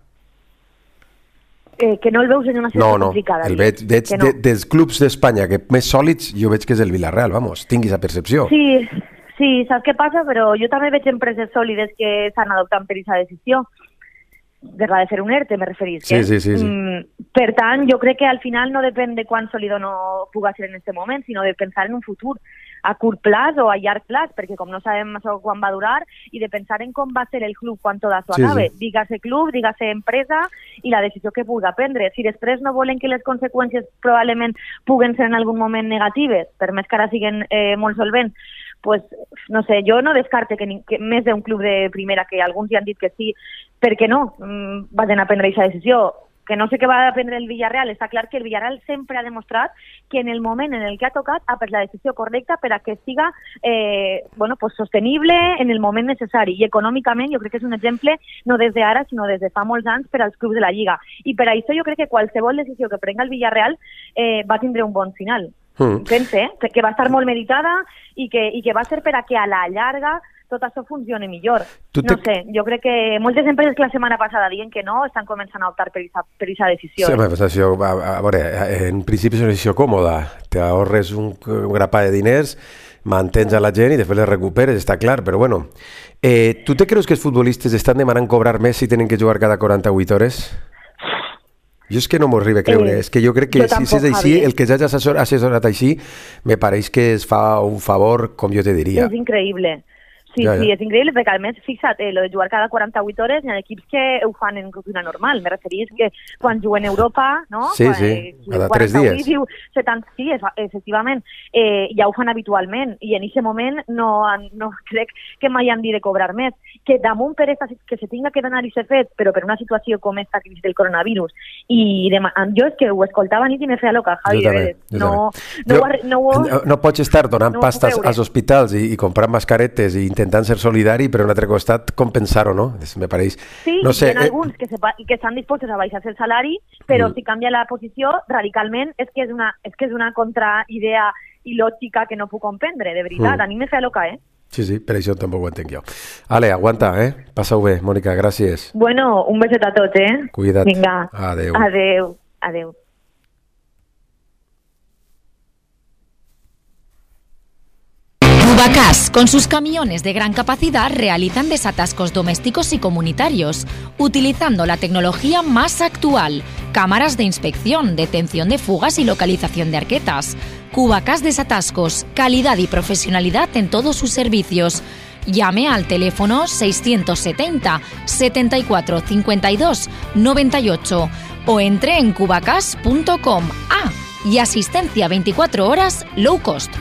Eh, que no el veus en una situació no, no. complicada. El veig, veig no. de, dels clubs d'Espanya que més sòlids, jo veig que és el Villarreal, vamos, tinguis la percepció. Sí, sí, saps què passa? Però jo també veig empreses sòlides que s'han adoptat per aquesta decisió. De la de fer un E R T, me referís. Sí, sí, sí, sí. Mm, per tant, jo crec que al final no depèn de quan sòlid o no puga ser en aquest moment, sinó de pensar en un futur a curt plaç o a llarg plaç, perquè com no sabem això quan va durar, i de pensar en com va ser el club quan tot això sí, acabe. Sí. Dígase club, dígase empresa, i la decisió que pugui prendre. Si després no volen que les conseqüències probablement puguen ser en algun moment negatives, per més que ara siguin eh, molt solvents, pues, no sé, jo no descarte que, ni, que més d'un club de primera, que alguns ja han dit que sí, perquè no, mm, vagin a prendre aquesta decisió. Que no sé què va a prendre el Villarreal, està clar que el Villarreal sempre ha demostrat que en el moment en el que ha tocat ha pres la decisió correcta per a que siga eh, bueno, pues sostenible en el moment necessari, i econòmicament jo crec que és un exemple no des d'ara sinó des de fa molts anys per als clubs de la Lliga, i per això jo crec que qualsevol decisió que prenga el Villarreal eh, va tindre un bon final. Mm. Pense eh, que va estar molt meditada i que, i que va ser per a que a la llarga tot això funciona millor. Te... No sé, jo crec que moltes empreses que la setmana passada diuen que no, estan començant a optar per aquesta decisió. Sí, eh? decisió, a, a veure, en principi és una decisió còmoda. Te ahorres un, un grapà de diners, mantens a la gent i després les recuperes, està clar, però bueno. Eh, tu te creus que els futbolistes estan demanant cobrar més si tenen que jugar cada quaranta-vuit hores? Jo és que no m'ho arriba a creure, eh, és que jo crec que jo si, si és així, el que ja has assessorat així, me pareix que es fa un favor, com jo te diria. És increïble. Sí, ja, ja. sí, és increïble, perquè a més, fixa't, eh, lo de jugar cada quaranta-vuit hores, hi ha equips que ho fan en rutina normal. Me referís que quan juguen a Europa, no? Sí, quan, sí, eh, cada tres dies. Diu, setanta, sí, efectivament, eh, ja ho fan habitualment, i en aquest moment no, no crec que mai han dit de cobrar més. Que damunt per esta, que se tinga que donar i ser fet, però per una situació com esta crisi del coronavirus, i de, jo és que ho escoltava nit i me feia loca, Javi, jo també, jo no, no, no, no, no, no pots estar donant no pastes als hospitals i, i comprant mascaretes i intentant ser solidari, però en un altre costat compensar-ho, no? Me pareix... Sí, no sé, hi ha eh... alguns que, se, que estan disposats a baixar el salari, però mm. si canvia la posició radicalment és que és una, és que és una contraidea il·lògica que no puc comprendre, de veritat. Mm. A mi me fa loca, eh? Sí, sí, per això tampoc ho entenc jo. Ale, aguanta, eh? Passa-ho bé, Mònica, gràcies. Bueno, un beset a tots, eh? Cuida't. Vinga. Adéu. Adéu. Adéu. Cubacasc, Con sus camiones de gran capacidad realizan desatascos domésticos y comunitarios, utilizando la tecnología más actual, cámaras de inspección, detención de fugas y localización de arquetas. Cubacas Desatascos, calidad y profesionalidad en todos sus servicios. Llame al teléfono seiscientos setenta, setenta y cuatro, cincuenta y dos, noventa y ocho o entre en cubacas punto com. Ah, y asistencia veinticuatro horas low cost.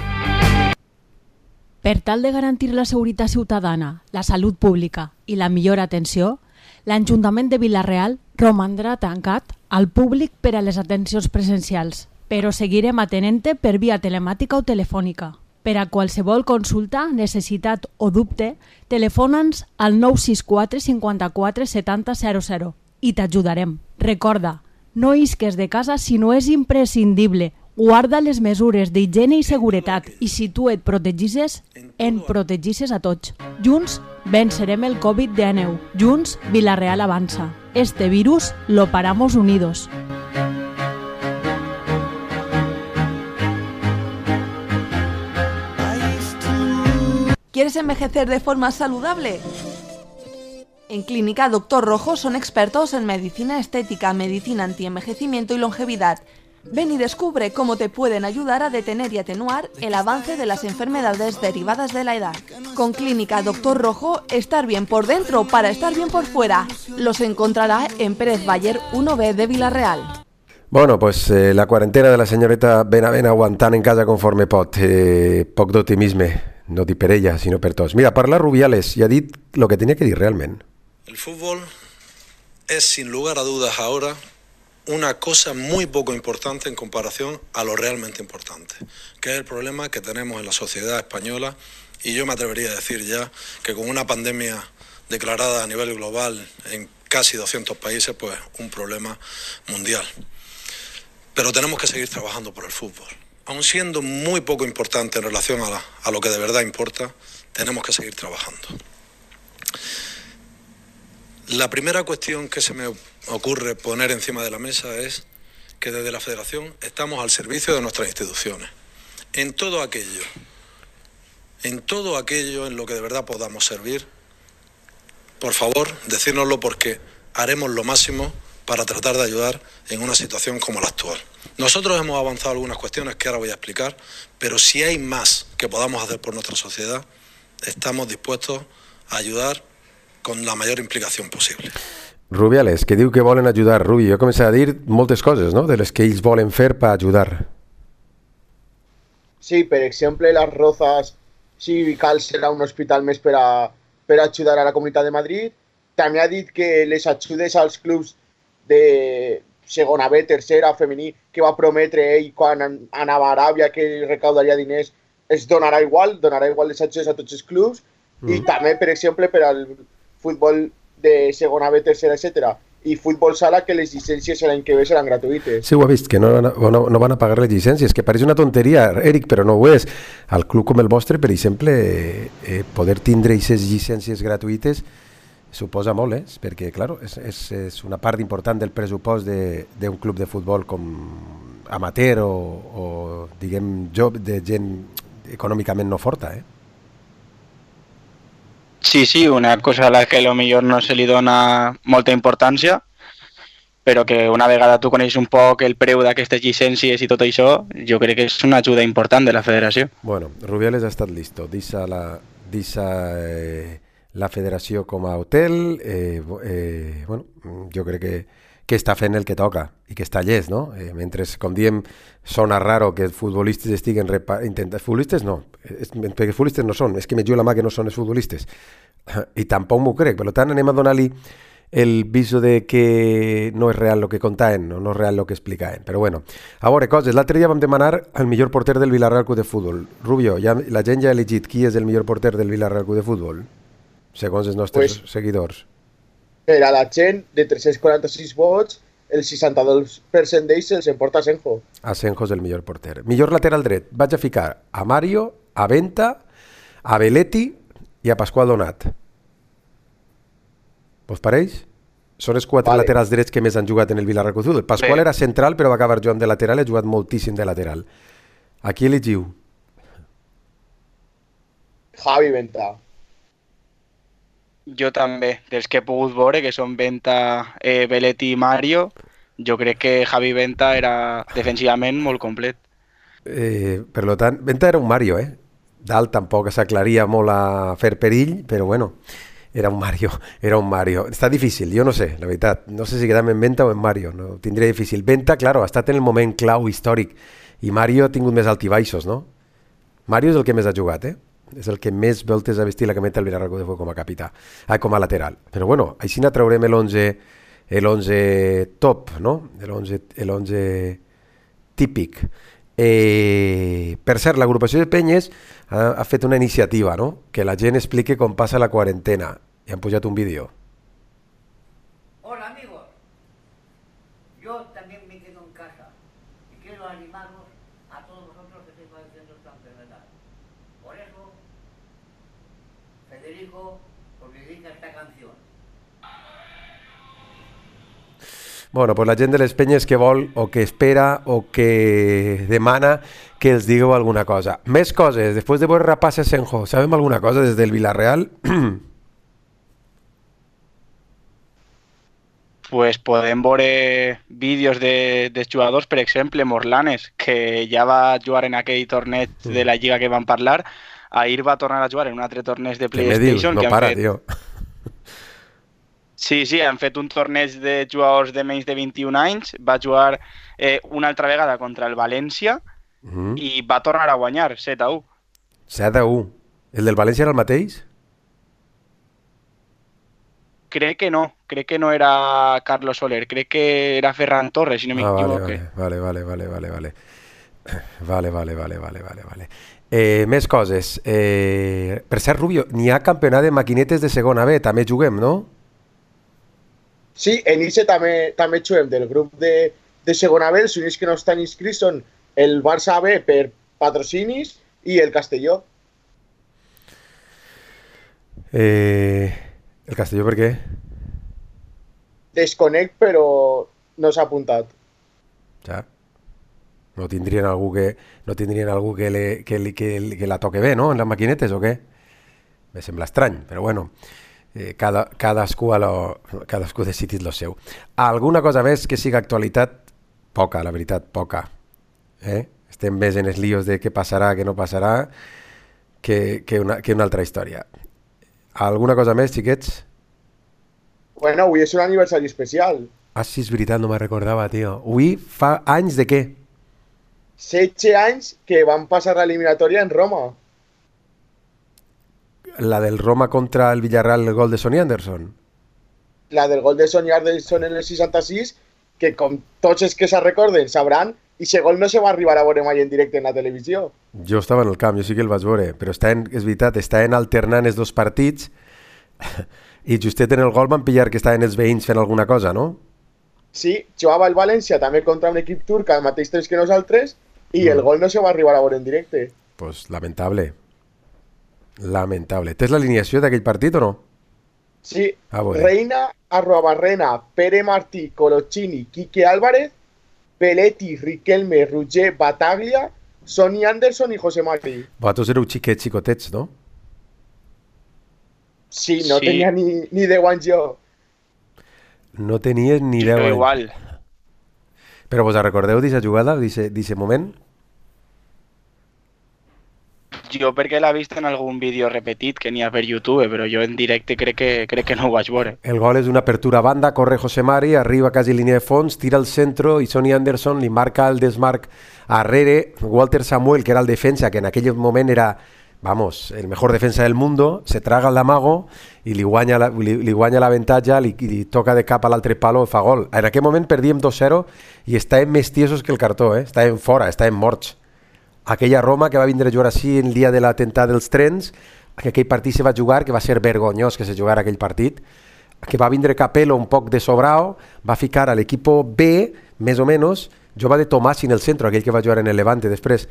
Per tal de garantir la seguretat ciutadana, la salut pública i la millor atenció, l'Ajuntament de Vila-real romandrà tancat al públic per a les atencions presencials, però seguirem atenent-te per via telemàtica o telefònica. Per a qualsevol consulta, necessitat o dubte, telefona'ns al nou sis quatre cinquanta-quatre setanta zero zero i t'ajudarem. Recorda, no isques de casa si no és imprescindible. Guarda les mesures d'higiene i seguretat i si tu et protegisses, en protegisses a tots. Junts vencerem el covid diecinueve. Junts Vila-real avança. Este virus lo paramos unidos. ¿Quieres envejecer de forma saludable? En Clínica Doctor Rojo son expertos en medicina estética, medicina antienvejecimiento y longevidad. Ven y descubre cómo te pueden ayudar a detener y atenuar el avance de las enfermedades derivadas de la edad. Con Clínica Doctor Rojo, estar bien por dentro para estar bien por fuera. Los encontrará en Pérez Baller uno B de Vila-real. Bueno, pues eh, la cuarentena de la señorita Benavent aguantant en casa conforme pot. Eh, poc d'optimisme, no dic per ella, sinó per tots. Mira, parla Rubiales i ha dit lo que tenia que dir realment. El fútbol es sin lugar a dudas ahora una cosa muy poco importante en comparación a lo realmente importante, que es el problema que tenemos en la sociedad española, y yo me atrevería a decir ya que con una pandemia declarada a nivel global en casi doscientos países, pues un problema mundial. Pero tenemos que seguir trabajando por el fútbol. Aun siendo muy poco importante en relación a, la, a lo que de verdad importa, tenemos que seguir trabajando. La primera cuestión que se me ocurre poner encima de la mesa es que desde la Federación estamos al servicio de nuestras instituciones. En todo aquello, en todo aquello en lo que de verdad podamos servir, por favor, decírnoslo porque haremos lo máximo para tratar de ayudar en una situación como la actual. Nosotros hemos avanzado algunas cuestiones que ahora voy a explicar, pero si hay más que podamos hacer por nuestra sociedad, estamos dispuestos a ayudar con la mayor implicació possible. Rubiales, que diu que volen ajudar. Rubi, jo començaré a dir moltes coses, no?, de les que ells volen fer per ajudar. Sí, per exemple, Las Rozas, si cal, serà un hospital més per a, per a ajudar a la Comunitat de Madrid. També ha dit que les ajudes als clubs de segona B, tercera, femení, que va prometre ell quan anava a Aràbia que recaudaria diners, es donarà igual, donarà igual les ajudes a tots els clubs. Mm. I també, per exemple, per al futbol de segona B, tercera, etcètera, i futbol sala, que les llicències l'any que ve seran gratuïtes. Sí, ho ha vist, que no, no, no van a pagar les llicències, que pareix una tonteria, Eric, però no ho és. Al club com el vostre, per exemple, eh, poder tindre aquestes llicències gratuïtes suposa molt, eh? Perquè, clar, és, és, és una part important del pressupost d'un club de futbol com amateur o, o diguem, job de gent econòmicament no forta, eh? Sí, sí, una cosa a la que a lo millor no se li dona molta importància, però que una vegada tu coneixes un poc el preu d'aquestes llicències i tot això, jo crec que és una ajuda important de la federació. Bueno, Rubiales ha estat listo. Deixa la, deixa, eh, la federació com a hotel. Eh, eh, bueno, jo crec que, que està fent el que toca i que està llest, no? Eh, mentre, com diem, sona raro que els futbolistes estiguen intentant... Futbolistes no, és, perquè futbolistes no són, és que me jo la mà que no són els futbolistes. I tampoc m'ho crec, per tant anem a donar-li el viso de que no és real el que contaven, no, no és real el que explicaven. Però bueno, a veure, coses, l'altre dia vam demanar al millor porter del Vila-real Club de Futbol. Rubio, ja, la gent ja ha elegit qui és el millor porter del Vila-real Club de Futbol, segons els nostres pues, seguidors. Per a la gent, de tres-cents quaranta-sis vots, el seixanta-dos per cent d'ells se'ls emporta Asenjo. Asenjo és el millor porter. Millor lateral dret, vaig a ficar a Mario, a Venta, a Belletti i a Pasqual Donat. Vos pareix? Són els quatre vale. laterals drets que més han jugat en el Vila-real Club de Futbol. Pasqual sí. era central, però va acabar jugant de lateral, ha jugat moltíssim de lateral. A qui elegiu? Javi Venta. Jo també, dels que he pogut veure, que són Venta, eh, Belletti i Mario, jo crec que Javi Venta era defensivament molt complet. Eh, per lo tant, Venta era un Mario, eh? Dalt tampoc s'aclaria molt a fer perill, però bueno, era un Mario, era un Mario. Està difícil, jo no sé, la veritat. No sé si quedam en Venta o en Mario, no? Tindria difícil. Venta, claro, ha estat en el moment clau històric i Mario ha tingut més altibaixos, no? Mario és el que més ha jugat, eh? És el que més voltes ha vestit la cameta del Villarreal com a capità, ah, com a lateral. Però bueno, així ne traurem l'onze el onze top, no? L'onze típic. Eh, per cert, l'agrupació de penyes ha, ha fet una iniciativa, no? Que la gent explique com passa la quarantena. I han pujat un vídeo. Hola amigos, yo también me quedo en casa y quiero animaros a todos vosotros que estáis padeciendo esta enfermedad. Por eso, Federico os dedica esta canción. Bueno, pues la gent de les penyes que vol o que espera o que demana que els digueu alguna cosa. Més coses, després de veure Rapaz Senjo, sabem alguna cosa des del Villarreal? Pues podem veure vídeos de, dels jugadors, per exemple, Morlanes, que ja va jugar en aquell torneig de la Lliga que vam parlar. Ahir va tornar a jugar en un altre torneig de PlayStation. No que para, fet... tio. Sí, sí, han fet un torneig de jugadors de menys de vint-i-un anys, va jugar eh, una altra vegada contra el València mm-hmm. i va tornar a guanyar, set a u. set a u. El del València era el mateix? Crec que no, crec que no era Carlos Soler, crec que era Ferran Torres, si no m'equivoque. Ah, vale, vale, vale, vale, vale. Vale, vale, vale, vale, vale, vale. Eh, més coses. Eh, per cert, Rubio, n'hi ha campionat de maquinetes de segona B, també juguem, no? Sí, en Ixe també, també juguem del grup de, de segona B. Els únics que no estan inscrits són el Barça B per patrocinis i el Castelló. Eh, el Castelló per què? Desconec, però no s'ha apuntat. Ja. No tindrien algú que, no tindrien algú que, le, que, li, que, que la toque bé, no?, en les maquinetes, o què? Me sembla estrany, però bueno... Eh, cada, cadascú, a lo, cadascú decidit lo seu. Alguna cosa més que siga actualitat? Poca, la veritat, poca. Eh? Estem més en els líos de què passarà, què no passarà, que, que, una, que una altra història. Alguna cosa més, xiquets? Bueno, avui és un aniversari especial. Ah, sí, és veritat, no me'n recordava, tio. Avui fa anys de què? setze anys que van passar l'eliminatòria en Roma. La del Roma contra el Villarreal, el gol de Sonny Anderson. La del gol de Sonny Anderson en el seixanta-sis, que com tots els que se recorden sabran, i ese gol no se va arribar a veure mai en directe en la televisió. Jo estava en el camp, jo sí que el vaig veure, però està en, és veritat, estaven alternant els dos partits i justet en el gol van pillar que estaven els veïns fent alguna cosa, no? Sí, jugava el València també contra un equip turc al mateix temps que nosaltres i mm. el gol no se va arribar a veure en directe. Pues lamentable. Lamentable. Tens l'alineació d'aquell partit o no? Sí, ah, Reina, Arruabarrena, Pere Martí, Coloccini, Quique Álvarez, Belletti, Riquelme, Roger, Bataglia, Sonny Anderson i José Mari. Vosaltres éreu xiquets, xicotets, no? Sí, no sí. tenia ni, ni deu anys jo. No tenies ni deu anys. Igual. Però vos recordeu d'aquesta jugada, d'aquest moment? Jo perquè l'he vist en algun vídeo repetit que n'hi ha per YouTube, però jo en directe crec que, crec que no ho vaig veure. El gol és una apertura a banda, corre José Mari, arriba quasi línia de fons, tira al centro i Sonny Anderson li marca el desmarc arrere. Walter Samuel, que era el defensa, que en aquell moment era, vamos, el mejor defensa del mundo, se traga el d'amago i li guanya, la, li, li guanya l'avantatge, li, li toca de cap a l'altre palo i fa gol. En aquell moment perdíem dos zero i estàvem més tiesos que el cartó, eh? Estàvem fora, estàvem morts. Aquella Roma que va vindre a jugar així el dia de l'atemptat dels trens, que aquell partit se va jugar, que va ser vergonyós que se jugara aquell partit, que va vindre Capello un poc de sobrao, va ficar a l'equip B, més o menys, jo va de Tomàs en el centre, aquell que va jugar en el Levante després,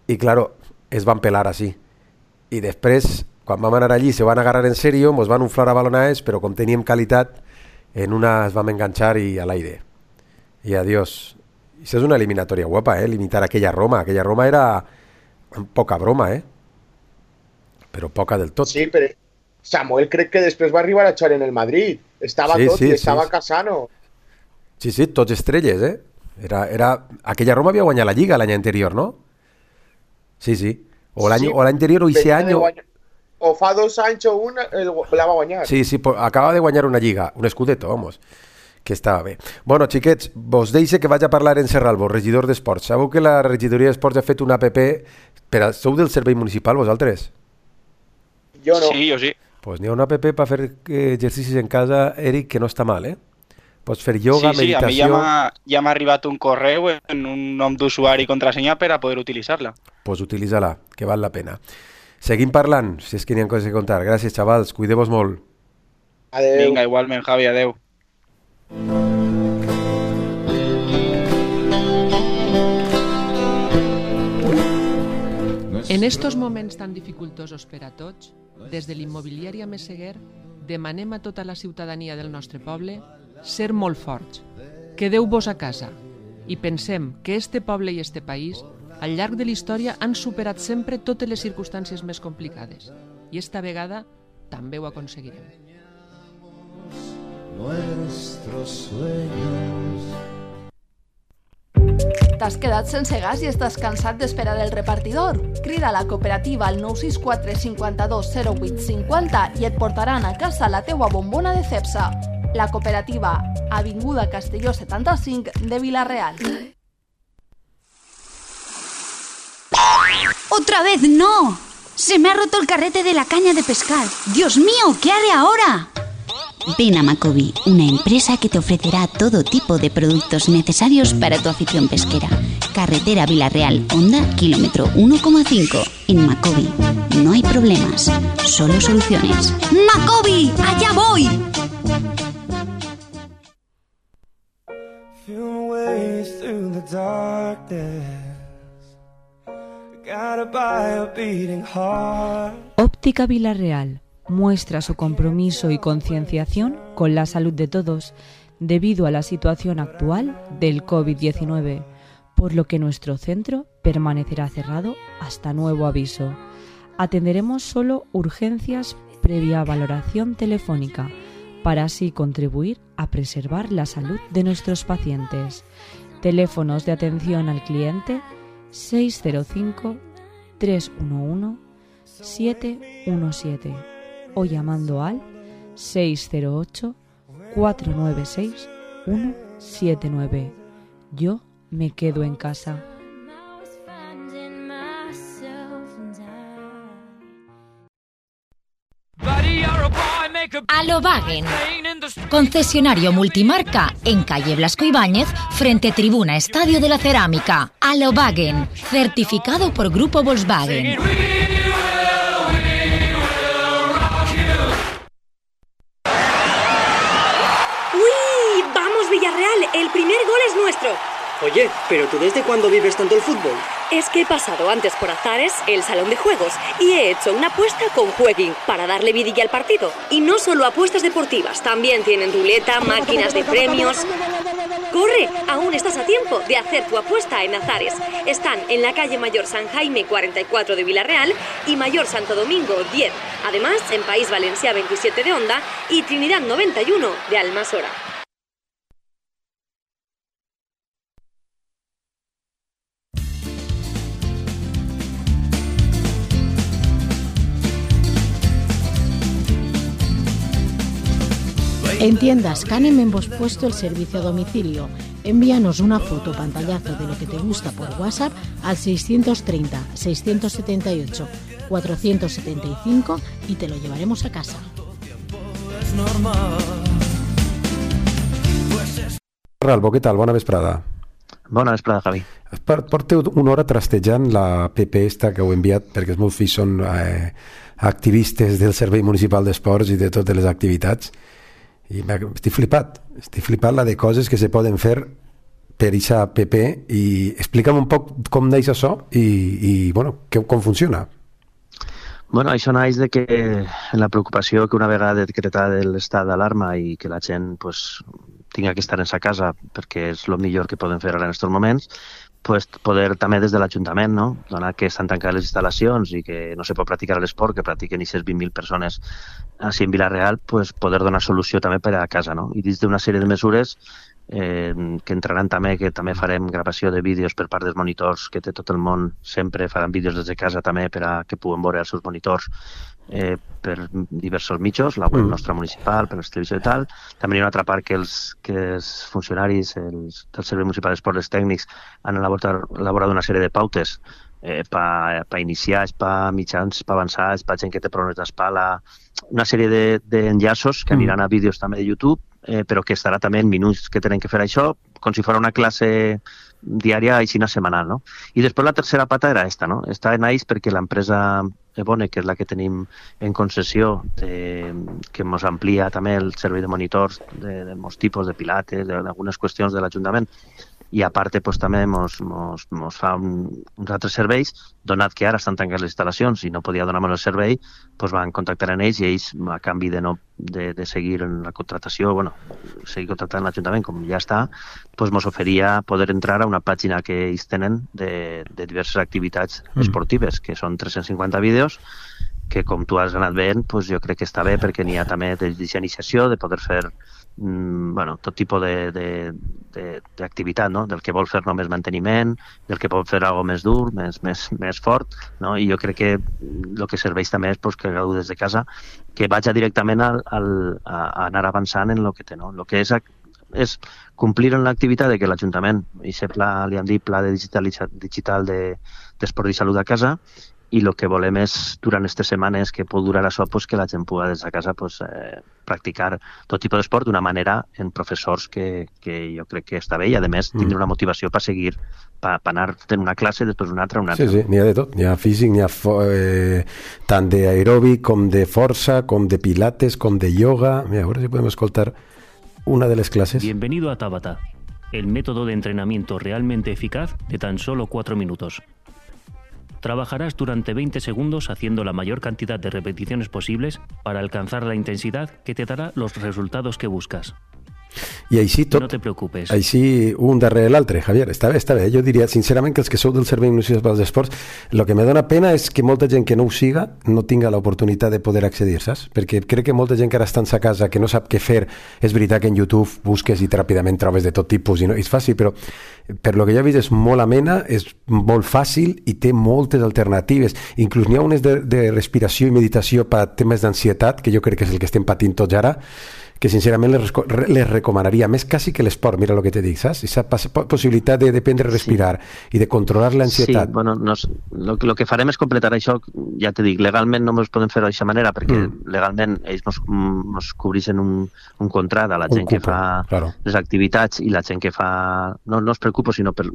i claro, es van pelar així. I després, quan vam anar allí, se van agarrar en serio, ens van unflar a balonades, però com teníem qualitat, en una es vam enganxar i a l'aire. I adiós. Això és una eliminatòria guapa, eh? Limitar aquella Roma. Aquella Roma era poca broma, eh? però poca del tot. Sí, però Samuel crec que després va arribar a jugar en el Madrid. Estava sí, tot sí, i estava sí. Casano. Sí, sí, tots estrelles, eh? Era, era... Aquella Roma havia guanyat la Lliga l'any anterior, no? Sí, sí. O l'any sí, anterior o ese any... Guanyar... O fa dos anys o un el, la va guanyar. Sí, sí, acaba de guanyar una Lliga, un Scudetto, vamos, que estava bé. Bueno, xiquets, vos deixe que vaig a parlar en Serralbo, regidor d'Esports. Sabeu que la regidoria d'Esports ha fet una app per a... Sou del servei municipal, vosaltres? Jo no. Sí, jo sí. Pues n'hi ha una app per fer exercicis en casa, Eric, que no està mal, eh? Pots fer yoga, sí, sí, meditació... Sí, a mi ja m'ha arribat un correu en un nom d'usuari i contrasenya per a poder utilitzar-la. Pues utilitza-la, que val la pena. Seguim parlant, si és que n'hi ha coses a contar. Gràcies, xavals, cuideu-vos molt. Adeu. Vinga, igualment, Javi, adeu. En estos moments tan dificultosos per a tots, des de l'immobiliària Meseguer demanem a tota la ciutadania del nostre poble ser molt forts. Quedeu-vos a casa i pensem que este poble i este país al llarg de la història han superat sempre totes les circumstàncies més complicades i esta vegada també ho aconseguirem. Nuestros sueños. T'has quedat sense gas i estàs cansat d'esperar el repartidor? Crida a la cooperativa al nou sis quatre cinc dos zero vuit cinc zero i et portaran a casa la teua bombona de Cepsa. La cooperativa, Avinguda Castelló setanta-cinc de Vila-real. ¡Otra vez no! Se me ha roto el carrete de la caña de pescar. ¡Dios mío! ¿Qué haré ahora? Ven a Macobi, una empresa que te ofrecerá todo tipo de productos necesarios para tu afición pesquera. Carretera Vila-real, Honda, kilómetro uno coma cinco. En Macobi no hay problemas, solo soluciones. ¡Macobi! ¡Allá voy! Óptica Vila-real muestra su compromiso y concienciación con la salud de todos debido a la situación actual del COVID diecinueve, por lo que nuestro centro permanecerá cerrado hasta nuevo aviso. Atenderemos solo urgencias previa valoración telefónica para así contribuir a preservar la salud de nuestros pacientes. Teléfonos de atención al cliente seis cero cinco, tres uno uno, siete uno siete o llamando al seis cero ocho, cuatro nueve seis, uno siete nueve. Yo me quedo en casa. Alobagen, concesionario multimarca en calle Blasco Ibáñez, frente Tribuna Estadio de la Cerámica. Alobagen, certificado por Grupo Volkswagen. ¡Uy! ¡Vamos, Villarreal! El primer gol es nuestro. Oye, ¿pero tú desde cuándo vives tanto el fútbol? Es que he pasado antes por Azares, el salón de juegos, y he hecho una apuesta con Jueguin para darle vidilla al partido. Y no solo apuestas deportivas, también tienen ruleta, máquinas de premios. ¡Corre! Aún estás a tiempo de hacer tu apuesta en Azares. Están en la calle Mayor San Jaime cuarenta y cuatro de Vila-real y Mayor Santo Domingo diez. Además, en País Valencià veintisiete de Honda y Trinidad noventa y uno de Almasora. En tiendas Canem hemos puesto el servicio a domicilio. Envíanos una foto o pantallazo de lo que te gusta por WhatsApp al seiscientos treinta, seiscientos setenta y ocho, cuatrocientos setenta y cinco y te lo llevaremos a casa. Ralbo, què tal? Bona vesprada. Bona vesprada, Javi. Porteu una hora trastejant la P P esta que heu enviat, perquè els meus fills són eh, activistes del Servei Municipal d'Esports i de totes les activitats. I estic flipat, estic flipat la de coses que se poden fer per aquesta P P i explica'm un poc com neix això i, i bueno, que, com funciona. Bueno, això naix de que la preocupació que una vegada decretada l'estat d'alarma i que la gent pues, tinga que estar en sa casa perquè és el millor que poden fer ara en aquests moments, pues, poder també des de l'Ajuntament, no? Donat que estan tancades les instal·lacions i que no se pot practicar l'esport, que practiquen aquestes vint mil persones així en Vila-real, pues, poder donar solució també per a casa, no? I dins d'una sèrie de mesures eh, que entraran també, que també farem gravació de vídeos per part dels monitors que té tot el món, sempre faran vídeos des de casa també per a que puguen veure els seus monitors eh, per diversos mitjos, la web mm. nostra municipal, per les televisió i tal. També hi ha una altra part que els, que els funcionaris els, del Servei Municipal d'Esports, els tècnics, han elaborat, elaborat una sèrie de pautes eh, per pa iniciar, per mitjans, per avançats, per gent que té problemes d'espala, una sèrie d'enllaços de, que aniran a vídeos també de YouTube, eh, però que estarà també en minuts que tenen que fer això, com si fos una classe diària i així setmanal, no? I després la tercera pata era esta, no? Esta naix perquè l'empresa Ebone, que és la que tenim en concessió, de, que ens amplia també el servei de monitors de, de molts tipus, de pilates, d'algunes qüestions de l'Ajuntament, i a part pues, també ens fa un, uns altres serveis, donat que ara estan tancades les instal·lacions i no podia donar-nos el servei, pues, van contactar amb ells i ells, a canvi de, no, de, de seguir en la contratació, bueno, seguir contractant l'Ajuntament, com ja està, pues, ens oferia poder entrar a una pàgina que ells tenen de, de diverses activitats mm. esportives, que són tres-cents cinquanta vídeos, que com tu has anat veient, pues, jo crec que està bé perquè n'hi ha també d'iniciació, de poder fer mm, bueno, tot tipus d'activitat, no? Del que vol fer només manteniment, del que pot fer alguna més dur, més, més, més fort, no? I jo crec que el que serveix també és pues, que gaudiu des de casa, que vaja directament al, al, a, a anar avançant en el que té, no? El que és, és complir en l'activitat de que l'Ajuntament, i aquest pla, li han dit pla de digital, digital d'esport de, i salut a casa, i el que volem és, durant aquestes setmanes que pot durar això, pues, que la gent pugui des de casa pues, eh, practicar tot tipus d'esport d'una manera en professors que, que jo crec que està bé i, a més, tindre una motivació per seguir, per anar fent una classe, després una altra, una altra. Sí, sí, n'hi ha de tot. N'hi ha físic, n'hi ha eh, tant d'aeròbic com de força, com de pilates, com de yoga. Mira, a veure si podem escoltar una de les classes. Bienvenido a Tabata, el método de entrenamiento realmente eficaz de tan solo cuatro minutos. Trabajarás durante veinte segundos haciendo la mayor cantidad de repeticiones posibles para alcanzar la intensidad que te dará los resultados que buscas. I així tot, no te preocupes. Així un darrere l'altre, Javier, està bé, està bé. Jo diria, sincerament, que els que sou del Servei Municipal d'Esports, el que me dona pena és que molta gent que no ho siga no tinga l'oportunitat de poder accedir, saps? Perquè crec que molta gent que ara està a casa, que no sap què fer, és veritat que en YouTube busques i ràpidament trobes de tot tipus i no és fàcil, però per lo que jo he vist és molt amena, és molt fàcil i té moltes alternatives. Inclús n'hi ha unes de, de respiració i meditació per temes d'ansietat, que jo crec que és el que estem patint tots ara, que sincerament les, les recomanaria més quasi que l'esport, mira el que te dic, saps? Aquesta possibilitat de dependre a respirar sí. i de controlar l'ansietat. Sí, bueno, no, lo, lo que farem és completar això, ja te dic, legalment no ens podem fer d'aquesta manera, perquè mm. legalment ells nos, nos cobreixen un, un contrat a la gent cupo, que fa claro. les activitats i la gent que fa... No, no es preocupo, sinó per...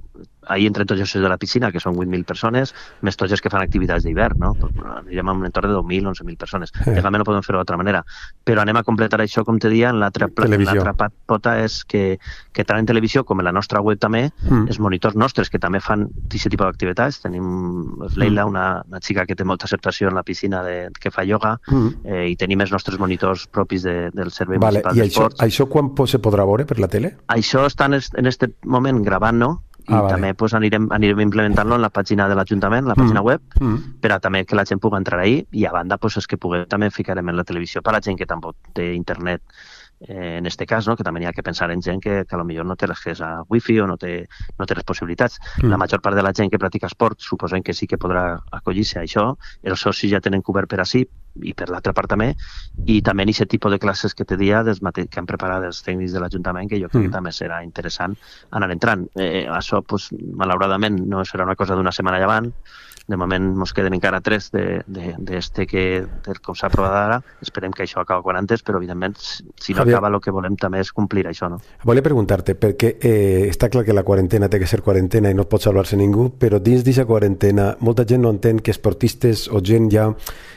Ahí entren tots els de la piscina, que són vuit mil persones, més tots els que fan activitats d'hivern, no? Anirem a un entorn de deu mil, onze mil persones. Eh. Legalment no podem fer-ho d'altra manera. Però anem a completar això, com te dia, en l'altra pota és que, que tant en televisió com en la nostra web també, mm. els monitors nostres que també fan aquest tipus d'activitats. Tenim Leila, una, una xica que té molta acceptació en la piscina de, que fa ioga, mm. eh, i tenim els nostres monitors propis de, del Servei vale. Municipal d'Esports. I això, això quan se podrà veure per la tele? Això està en aquest moment gravant, no? I ah, vale. també pues, anirem, anirem implementant-lo en la pàgina de l'Ajuntament, la pàgina mm. web, mm. per a també que la gent pugui entrar ahí, i a banda pues, és que puguem, també ficarem en la televisió per a la gent que tampoc té internet, eh, en este cas, no? Que també hi ha que pensar en gent que, que potser no té l'accés a wifi o no té, no té les possibilitats. Mm. La major part de la gent que practica esport suposem que sí que podrà acollir-se a això, els socis ja tenen cobert per ací, i per l'altra part també, i també en aquest tipus de classes que te dia que han preparat els tècnics de l'Ajuntament, que jo crec mm. que també serà interessant anar entrant. Eh, això, pues, malauradament, no serà una cosa d'una setmana llevant. De moment ens queden encara tres de, de, de este que, del com s'ha aprovat ara. Esperem que això acaba quan antes, però evidentment si no Javier, acaba el que volem també és complir això, no? Volia preguntar-te, perquè eh, està clar que la quarantena té que ser quarantena i no pot salvar-se ningú, però dins d'aquesta quarantena molta gent no entén que esportistes o gent ja,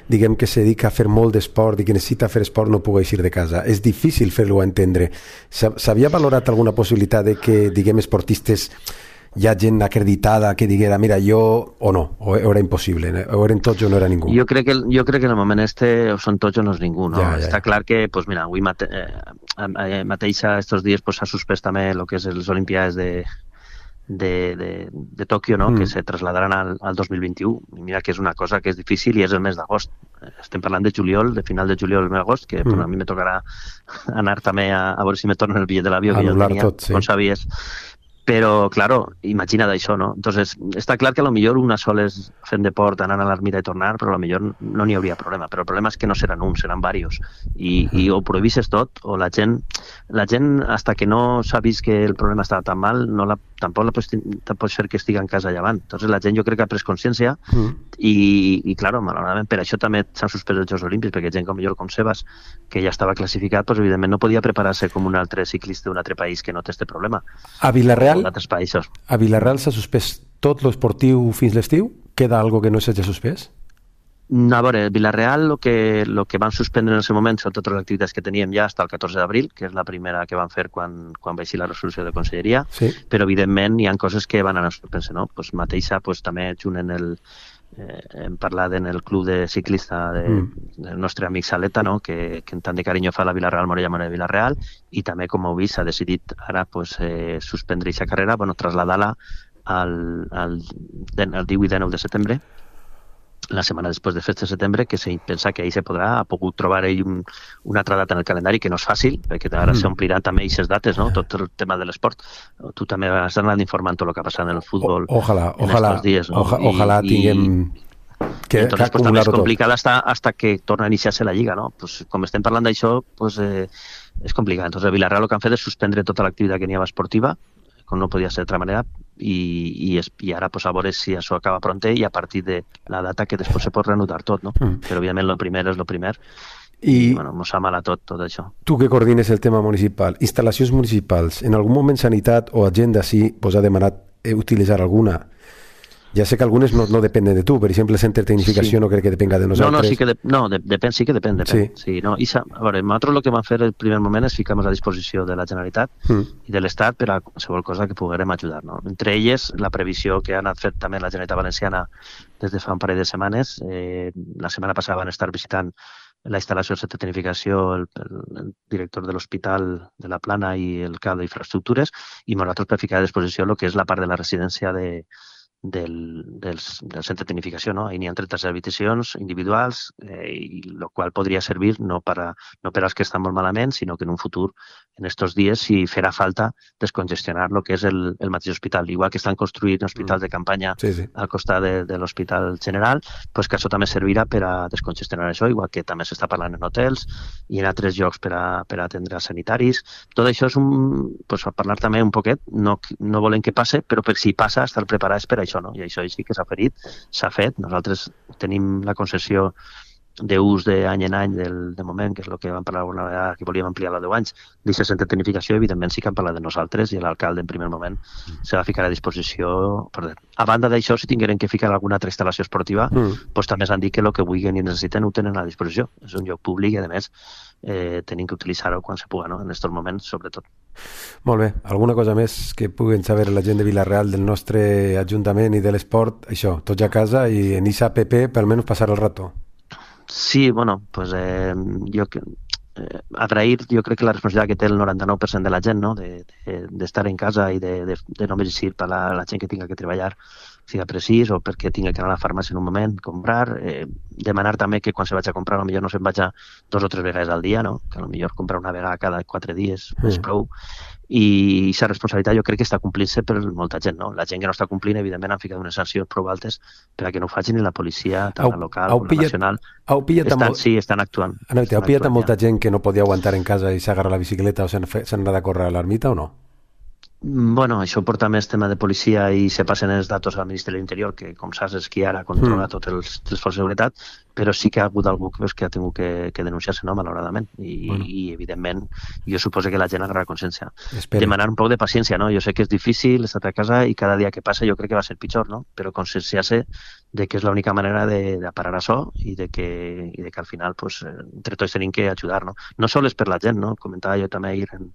diguem, que se dedica a fer molt d'esport i que necessita fer esport no pugui eixir de casa. És difícil fer-lo entendre. S'havia valorat alguna possibilitat de que, diguem, esportistes hi ha gent acreditada que diguera, mira, jo, o no, o era impossible, o eren tots o no era ningú? Jo crec que, jo crec que en el moment este o són tots o no és ningú, no? Ja, ja, Està ja. clar que, pues mira, avui mate, eh, mateixa, estos dies, pues, s'ha suspès també el que és les Olimpiades de, de, de, de Tòquio, no? Mm. que se trasladaran al, al dos mil vint-i-u. I mira que és una cosa que és difícil i és el mes d'agost. Estem parlant de juliol, de final de juliol al mes d'agost, que mm. pues, a mi me tocarà anar també a, a veure si me tornen el bitllet de l'avió que jo tenia, tot, sí. com sabies. Però, claro, imagina't això, no? Entonces, està clar que a lo millor una sola és fent deport, anant a l'ermita i tornar, però a lo millor no n'hi hauria problema. Però el problema és que no seran uns, seran diversos. I, i o prohibisses tot, o la gent, la gent, hasta que no s'ha vist que el problema estava tan mal, no la, tampoc la pots, pots fer que estigui en casa llevant. Entonces, la gent jo crec que ha pres consciència mm. i, i, claro, malauradament, per això també s'han suspès els Jocs Olímpics, perquè gent com millor com Sebas, que ja estava classificat, pues, evidentment no podia preparar-se com un altre ciclista d'un altre país que no té este problema. A Vilareal d'altres països. A Vilareal s'ha suspès tot l'esportiu fins l'estiu? Queda algo que no s'hagi suspès? A veure, Vilareal el que, lo que van suspendre en aquest moment són totes les activitats que teníem ja fins al catorze d'abril, que és la primera que van fer quan, quan va eixir la resolució de conselleria, sí. però evidentment hi ha coses que van anar suspendre, no? Pues mateixa, pues, també junt en el eh, hem parlat en el club de ciclista de, mm. del nostre amic Saleta, no? que, que tant de carinyo fa la Vilareal Morella Morella Vilareal, i també, com heu vist, s'ha decidit ara pues, eh, suspendre aquesta carrera, bueno, traslladar-la al, al, al divuit i dinou de setembre, la setmana després de festes de setembre, que se pensa que ahir se podrà, ha pogut trobar ell un, una altra data en el calendari, que no és fàcil, perquè ara mm. s'ompliran també aquestes dates, no? Tot el tema de l'esport. Tu també has anat informant tot el que ha passat en el futbol o, ojalà, en ojalà, estos dies. No? Oja, ojalà I, tinguem... Que, entonces, pues, també és complicat hasta, hasta que torna a iniciar-se la Lliga, no? Pues, com estem parlant d'això, pues, eh, és complicat. Entonces, a Vilareal el que han fet és suspendre tota l'activitat que n'hi havia esportiva, com no podia ser d'altra manera, i, i, es, i ara pues, a veure si això acaba pronte i a partir de la data que després se pot reanudar tot, no? Mm. Però evidentment el primer és el primer i, i bueno, mos fa mal a tot, tot això. Tu que coordines el tema municipal, instal·lacions municipals, en algun moment Sanitat o Agenda sí vos ha demanat utilitzar alguna? Ja sé que algunes no, no depenen de tu, per exemple, el centre de tecnificació sí. no crec que depenga de nosaltres. No, no, sí que, de, no de, depèn, sí que depèn, depèn. Sí. Sí, no, i sa, a veure, nosaltres el que vam fer el primer moment és ficar-nos a disposició de la Generalitat mm. i de l'Estat per a qualsevol cosa que poguérem ajudar. No? Entre elles, la previsió que ha anat fet també la Generalitat Valenciana des de fa un parell de setmanes. Eh, la setmana passada van estar visitant la instal·lació del centre de tecnificació, el, el, el director de l'Hospital de la Plana i el cap d'infraestructures, i nosaltres per ficar a disposició el que és la part de la residència de Del, del, del centre de tecnificació, no? Ahí n'hi ha trenta-set habitacions individuals, eh, i el qual podria servir no per, a, no per als que estan molt malament, sinó que en un futur, en estos dies, si farà falta descongestionar el que és el, el mateix hospital. Igual que estan construint hospitals de campanya sí, sí. al costat de, de l'Hospital General, pues que això també servirà per a descongestionar això, igual que també s'està parlant en hotels i en altres llocs per a, per a atendre els sanitaris. Tot això és un, pues, a parlar també un poquet, no, no volem que passe, però per si passa, estar preparats per a això, no? I això sí que s'ha ferit, s'ha fet. Nosaltres tenim la concessió d'ús d'any en any del, de moment, que és el que vam parlar alguna vegada, que volíem ampliar a deu anys, d'aquesta centre de tecnificació, evidentment sí que han parlat de nosaltres i l'alcalde en primer moment se va ficar a disposició. Perdó. A banda d'això, si tingueren que ficar alguna altra instal·lació esportiva, mm. pues, també s'han dit que el que vulguin i necessiten ho tenen a disposició. És un lloc públic i, a més, eh, tenim que utilitzar-ho quan se puga, no? En aquests moments, sobretot. Molt bé. Alguna cosa més que puguen saber la gent de Vilareal del nostre Ajuntament i de l'esport? Això, tots a casa i en esa app per almenys passar el rato. Sí, bueno, pues eh, jo eh, agrair, jo crec que la responsabilitat que té el noranta-nou per cent de la gent, no? de, de, d'estar en casa i de, de, de només eixir per la, la gent que tinga que treballar siga precís o perquè tinga que anar a la farmàcia en un moment, comprar, eh, demanar també que quan se vaig a comprar potser no se'n vaig a dos o tres vegades al dia, no? Que potser comprar una vegada cada quatre dies mm. és prou. I aquesta responsabilitat jo crec que està complint-se per molta gent, no? La gent que no està complint, evidentment, han ficat unes sancions prou altes per a que no ho facin ni la policia, tant la local com la nacional. Estan, molt... Sí, estan actuant. Aneu, heu pillat amb molta gent que no podia aguantar en casa i s'agarra la bicicleta o s'han anat a córrer a l'ermita o no? Bueno, això porta més tema de policia i se passen els datos al Ministeri de l'Interior, que com saps és qui ara controla mm. tots els, els forces de seguretat, però sí que ha hagut algú que, que ha tingut que, que denunciar-se, no, malauradament. I, bueno. i evidentment, jo suposo que la gent agarra consciència. Espera. Demanar un poc de paciència, no? Jo sé que és difícil estar a casa i cada dia que passa jo crec que va ser pitjor, no? Però conscienciar-se de que és l'única manera de, de parar això i de que, i de que al final, pues, entre tots tenim que ajudar, no? No sols per la gent, no? Comentava jo també ahir en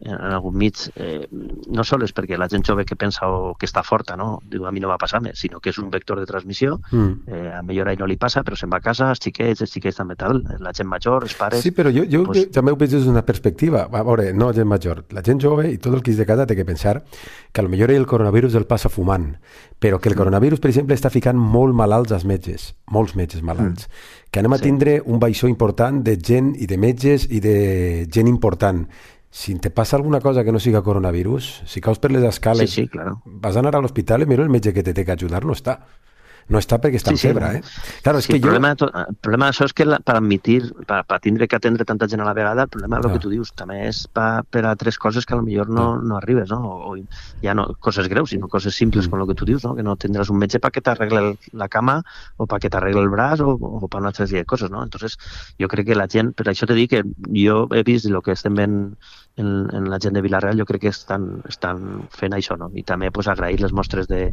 en algun mig, eh, no sols és perquè la gent jove que pensa o que està forta, no? Diu, a mi no va passar més, sinó que és un vector de transmissió, mm. eh, a millor a ell no li passa, però se'n va a casa, els xiquets, els xiquets també tal, la gent major, els pares... Sí, però jo, jo pues... també ho veig des d'una perspectiva, a veure, no gent major, la gent jove i tot el que és de casa té que pensar que potser el coronavirus el passa fumant, però que el coronavirus, per exemple, està ficant molt malalts als metges, molts metges malalts, mm. que anem a tindre sí. un baixó important de gent i de metges i de gent important. Si te passa alguna cosa que no siga coronavirus, si caus per les escales, sí, sí, claro. vas a anar a l'hospital i mira el metge que te té que ajudar no està. No està perquè està en sí, sí, febre, eh? Claro, sí, és que el, jo... problema, el problema d'això és que la, per admitir, per, per tindre que atendre tanta gent a la vegada, el problema és el que tu dius, també és per, per a tres coses que potser no, no arribes, no? O, o ja no coses greus, sinó coses simples mm. com el que tu dius, no? Que no tindràs un metge perquè t'arregle la cama o perquè t'arregle el braç o, o per una altra sèrie de coses, no? Entonces, jo crec que la gent, per això te dic que jo he vist el que estem veient en, en la gent de Vila-real, jo crec que estan, estan fent això, no? I també pues, agrair les mostres de,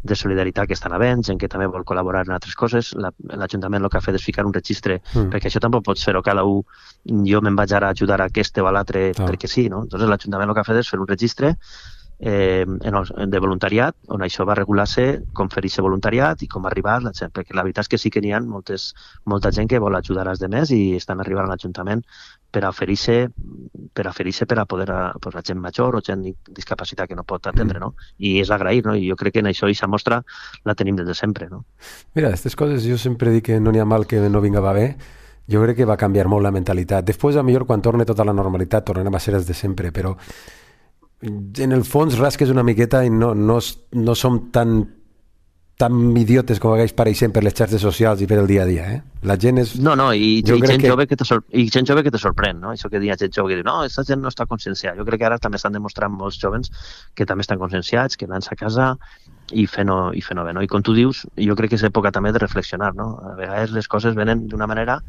de solidaritat que estan havent, gent que també vol col·laborar en altres coses. L'Ajuntament el que ha fet és ficar un registre, mm. perquè això tampoc pots fer-ho cada un, jo me'n vaig ara a ajudar a aquest o a l'altre ah. perquè sí, no? Entonces l'Ajuntament el que ha fet és fer un registre eh, de voluntariat, on això va regular-se com fer-se voluntariat i com arribar la gent, perquè la veritat és que sí que n'hi ha moltes, molta gent que vol ajudar als demés i estan arribant a l'Ajuntament per a oferir-se per a oferir-se per a poder a, pues, la gent major o gent discapacitat que no pot atendre, no? I és agrair, no? I jo crec que en això i aquesta mostra la tenim des de sempre, no? Mira, aquestes coses jo sempre dic que no n'hi ha mal que no vinga va bé. Jo crec que va canviar molt la mentalitat. Després, a millor, quan torni tota la normalitat, tornarem a ser els de sempre, però en el fons rasques una miqueta i no, no, no som tan tan idiotes com hagués pareixent per les xarxes socials i per el dia a dia, eh? La gent és... No, no, i, i, gent, que... Jove que te sor... i gent jove que te sorprèn, no? Això que diu gent jove que diu, no, aquesta gent no està conscienciada. Jo crec que ara també estan demostrant molts jovens que també estan conscienciats, que van a casa i fent-ho i fent-ho bé, no? I com tu dius, jo crec que és època també de reflexionar, no? A vegades les coses venen d'una manera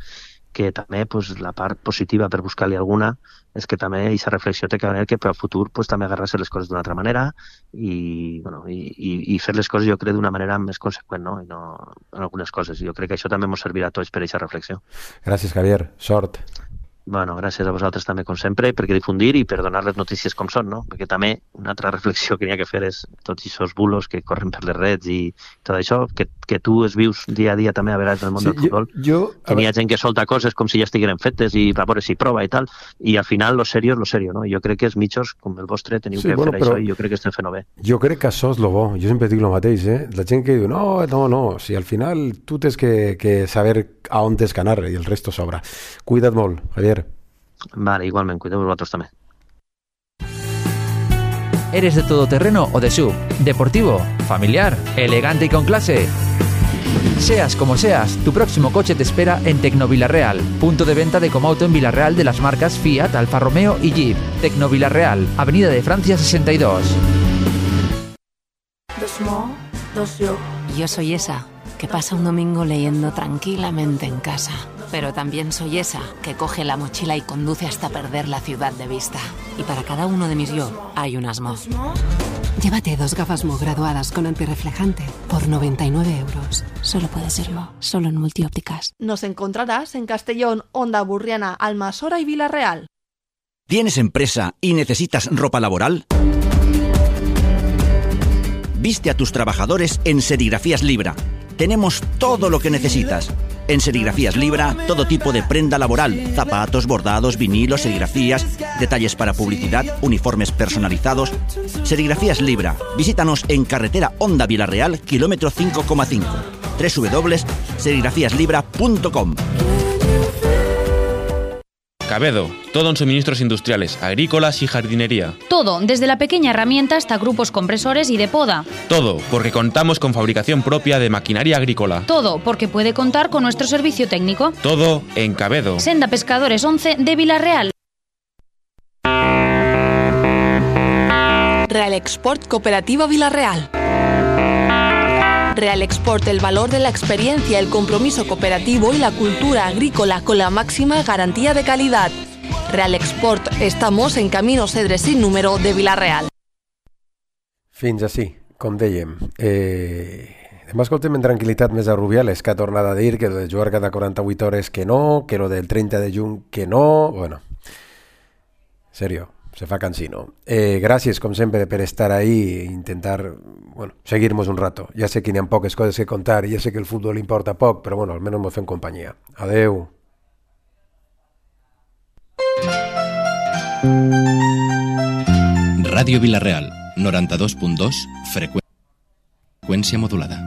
que també pues, la part positiva per buscar-li alguna és que també aquesta reflexió té que venir que per al futur pues, també agarrar-se les coses d'una altra manera i, bueno, i, i, i fer les coses jo crec d'una manera més conseqüent, no? I no en algunes coses. Jo crec que això també ens servirà a tots per aquesta reflexió. Gràcies, Javier. Sort. Bueno, gràcies a vosaltres també, com sempre, perquè difundir i per donar les notícies com són, no? Perquè també una altra reflexió que n'hi ha que fer és tots aquests bulos que corren per les reds i tot això, que, que tu es vius dia a dia també a vegades en el món sí, del futbol, jo, jo, que n'hi ha gent que solta coses com si ja estigueren fetes i va veure si prova i tal, i al final lo serio és lo serio, no? Jo crec que els mitjos, com el vostre, teniu sí, que bueno, fer això i jo crec que estem fent-ho bé. Jo crec que això és lo bo, jo sempre dic lo mateix, eh? La gent que diu, no, no, no, si al final tu tens que, que saber a on tens que anar i el resto sobra. Cuida't molt, Javier. Vale, igualmente, cuidemos vosotros también. ¿Eres de todoterreno o de S U V? ¿Deportivo? ¿Familiar? ¿Elegante y con clase? Seas como seas, tu próximo coche te espera en Tecnovilarreal, punto de venta de Comauto en Vila-real de las marcas Fiat, Alfa Romeo y Jeep. Tecnovilarreal, Avenida de Francia sesenta y dos. Dos mo, dos yo. Yo soy esa que pasa un domingo leyendo tranquilamente en casa. Pero también soy esa que coge la mochila y conduce hasta perder la ciudad de vista. Y para cada uno de mis yo hay un asmo. Llévate dos gafas Mo graduadas con antirreflejante por noventa y nueve euros. Solo puede ser Mo, solo en Multiópticas. Nos encontrarás en Castellón, Onda Burriana, Almasora y Vila-real. ¿Tienes empresa y necesitas ropa laboral? Viste a tus trabajadores en Serigrafías Libra. Tenemos todo lo que necesitas. En Serigrafías Libra, todo tipo de prenda laboral, zapatos, bordados, vinilos, serigrafías, detalles para publicidad, uniformes personalizados. Serigrafías Libra. Visítanos en carretera Onda Vila-real, kilómetro cinco coma cinco. doble u doble u doble u punto serigrafías libra punto com. Cabedo, todo en suministros industriales, agrícolas y jardinería. Todo, desde la pequeña herramienta hasta grupos compresores y de poda. Todo, porque contamos con fabricación propia de maquinaria agrícola. Todo, porque puede contar con nuestro servicio técnico. Todo en Cabedo. Senda Pescadores once de Vila-real. Real Export Cooperativa Vila-real. Real Export, el valor de la experiencia, el compromiso cooperativo y la cultura agrícola con la máxima garantía de calidad. Real Export, estamos en Camino Cedre sin número de Vila-real. Fins així, com dèiem. Eh, demà escoltem en tranquil·litat més a Rubiales, que ha tornat a dir que lo de jugar cada quaranta-vuit hores que no, que lo del trenta de juny que no... Bueno, serio, se fa cansino. Eh, gràcies, com sempre, per estar ahí e intentar, bueno, seguir-nos un rato. Ja sé que n'hi ha poques coses que contar, ja sé que el futbol importa poc, però bueno, almenys mos fem companyia. Adeu. Ràdio Vila-real, noranta-dos punt dos, freqüència modulada.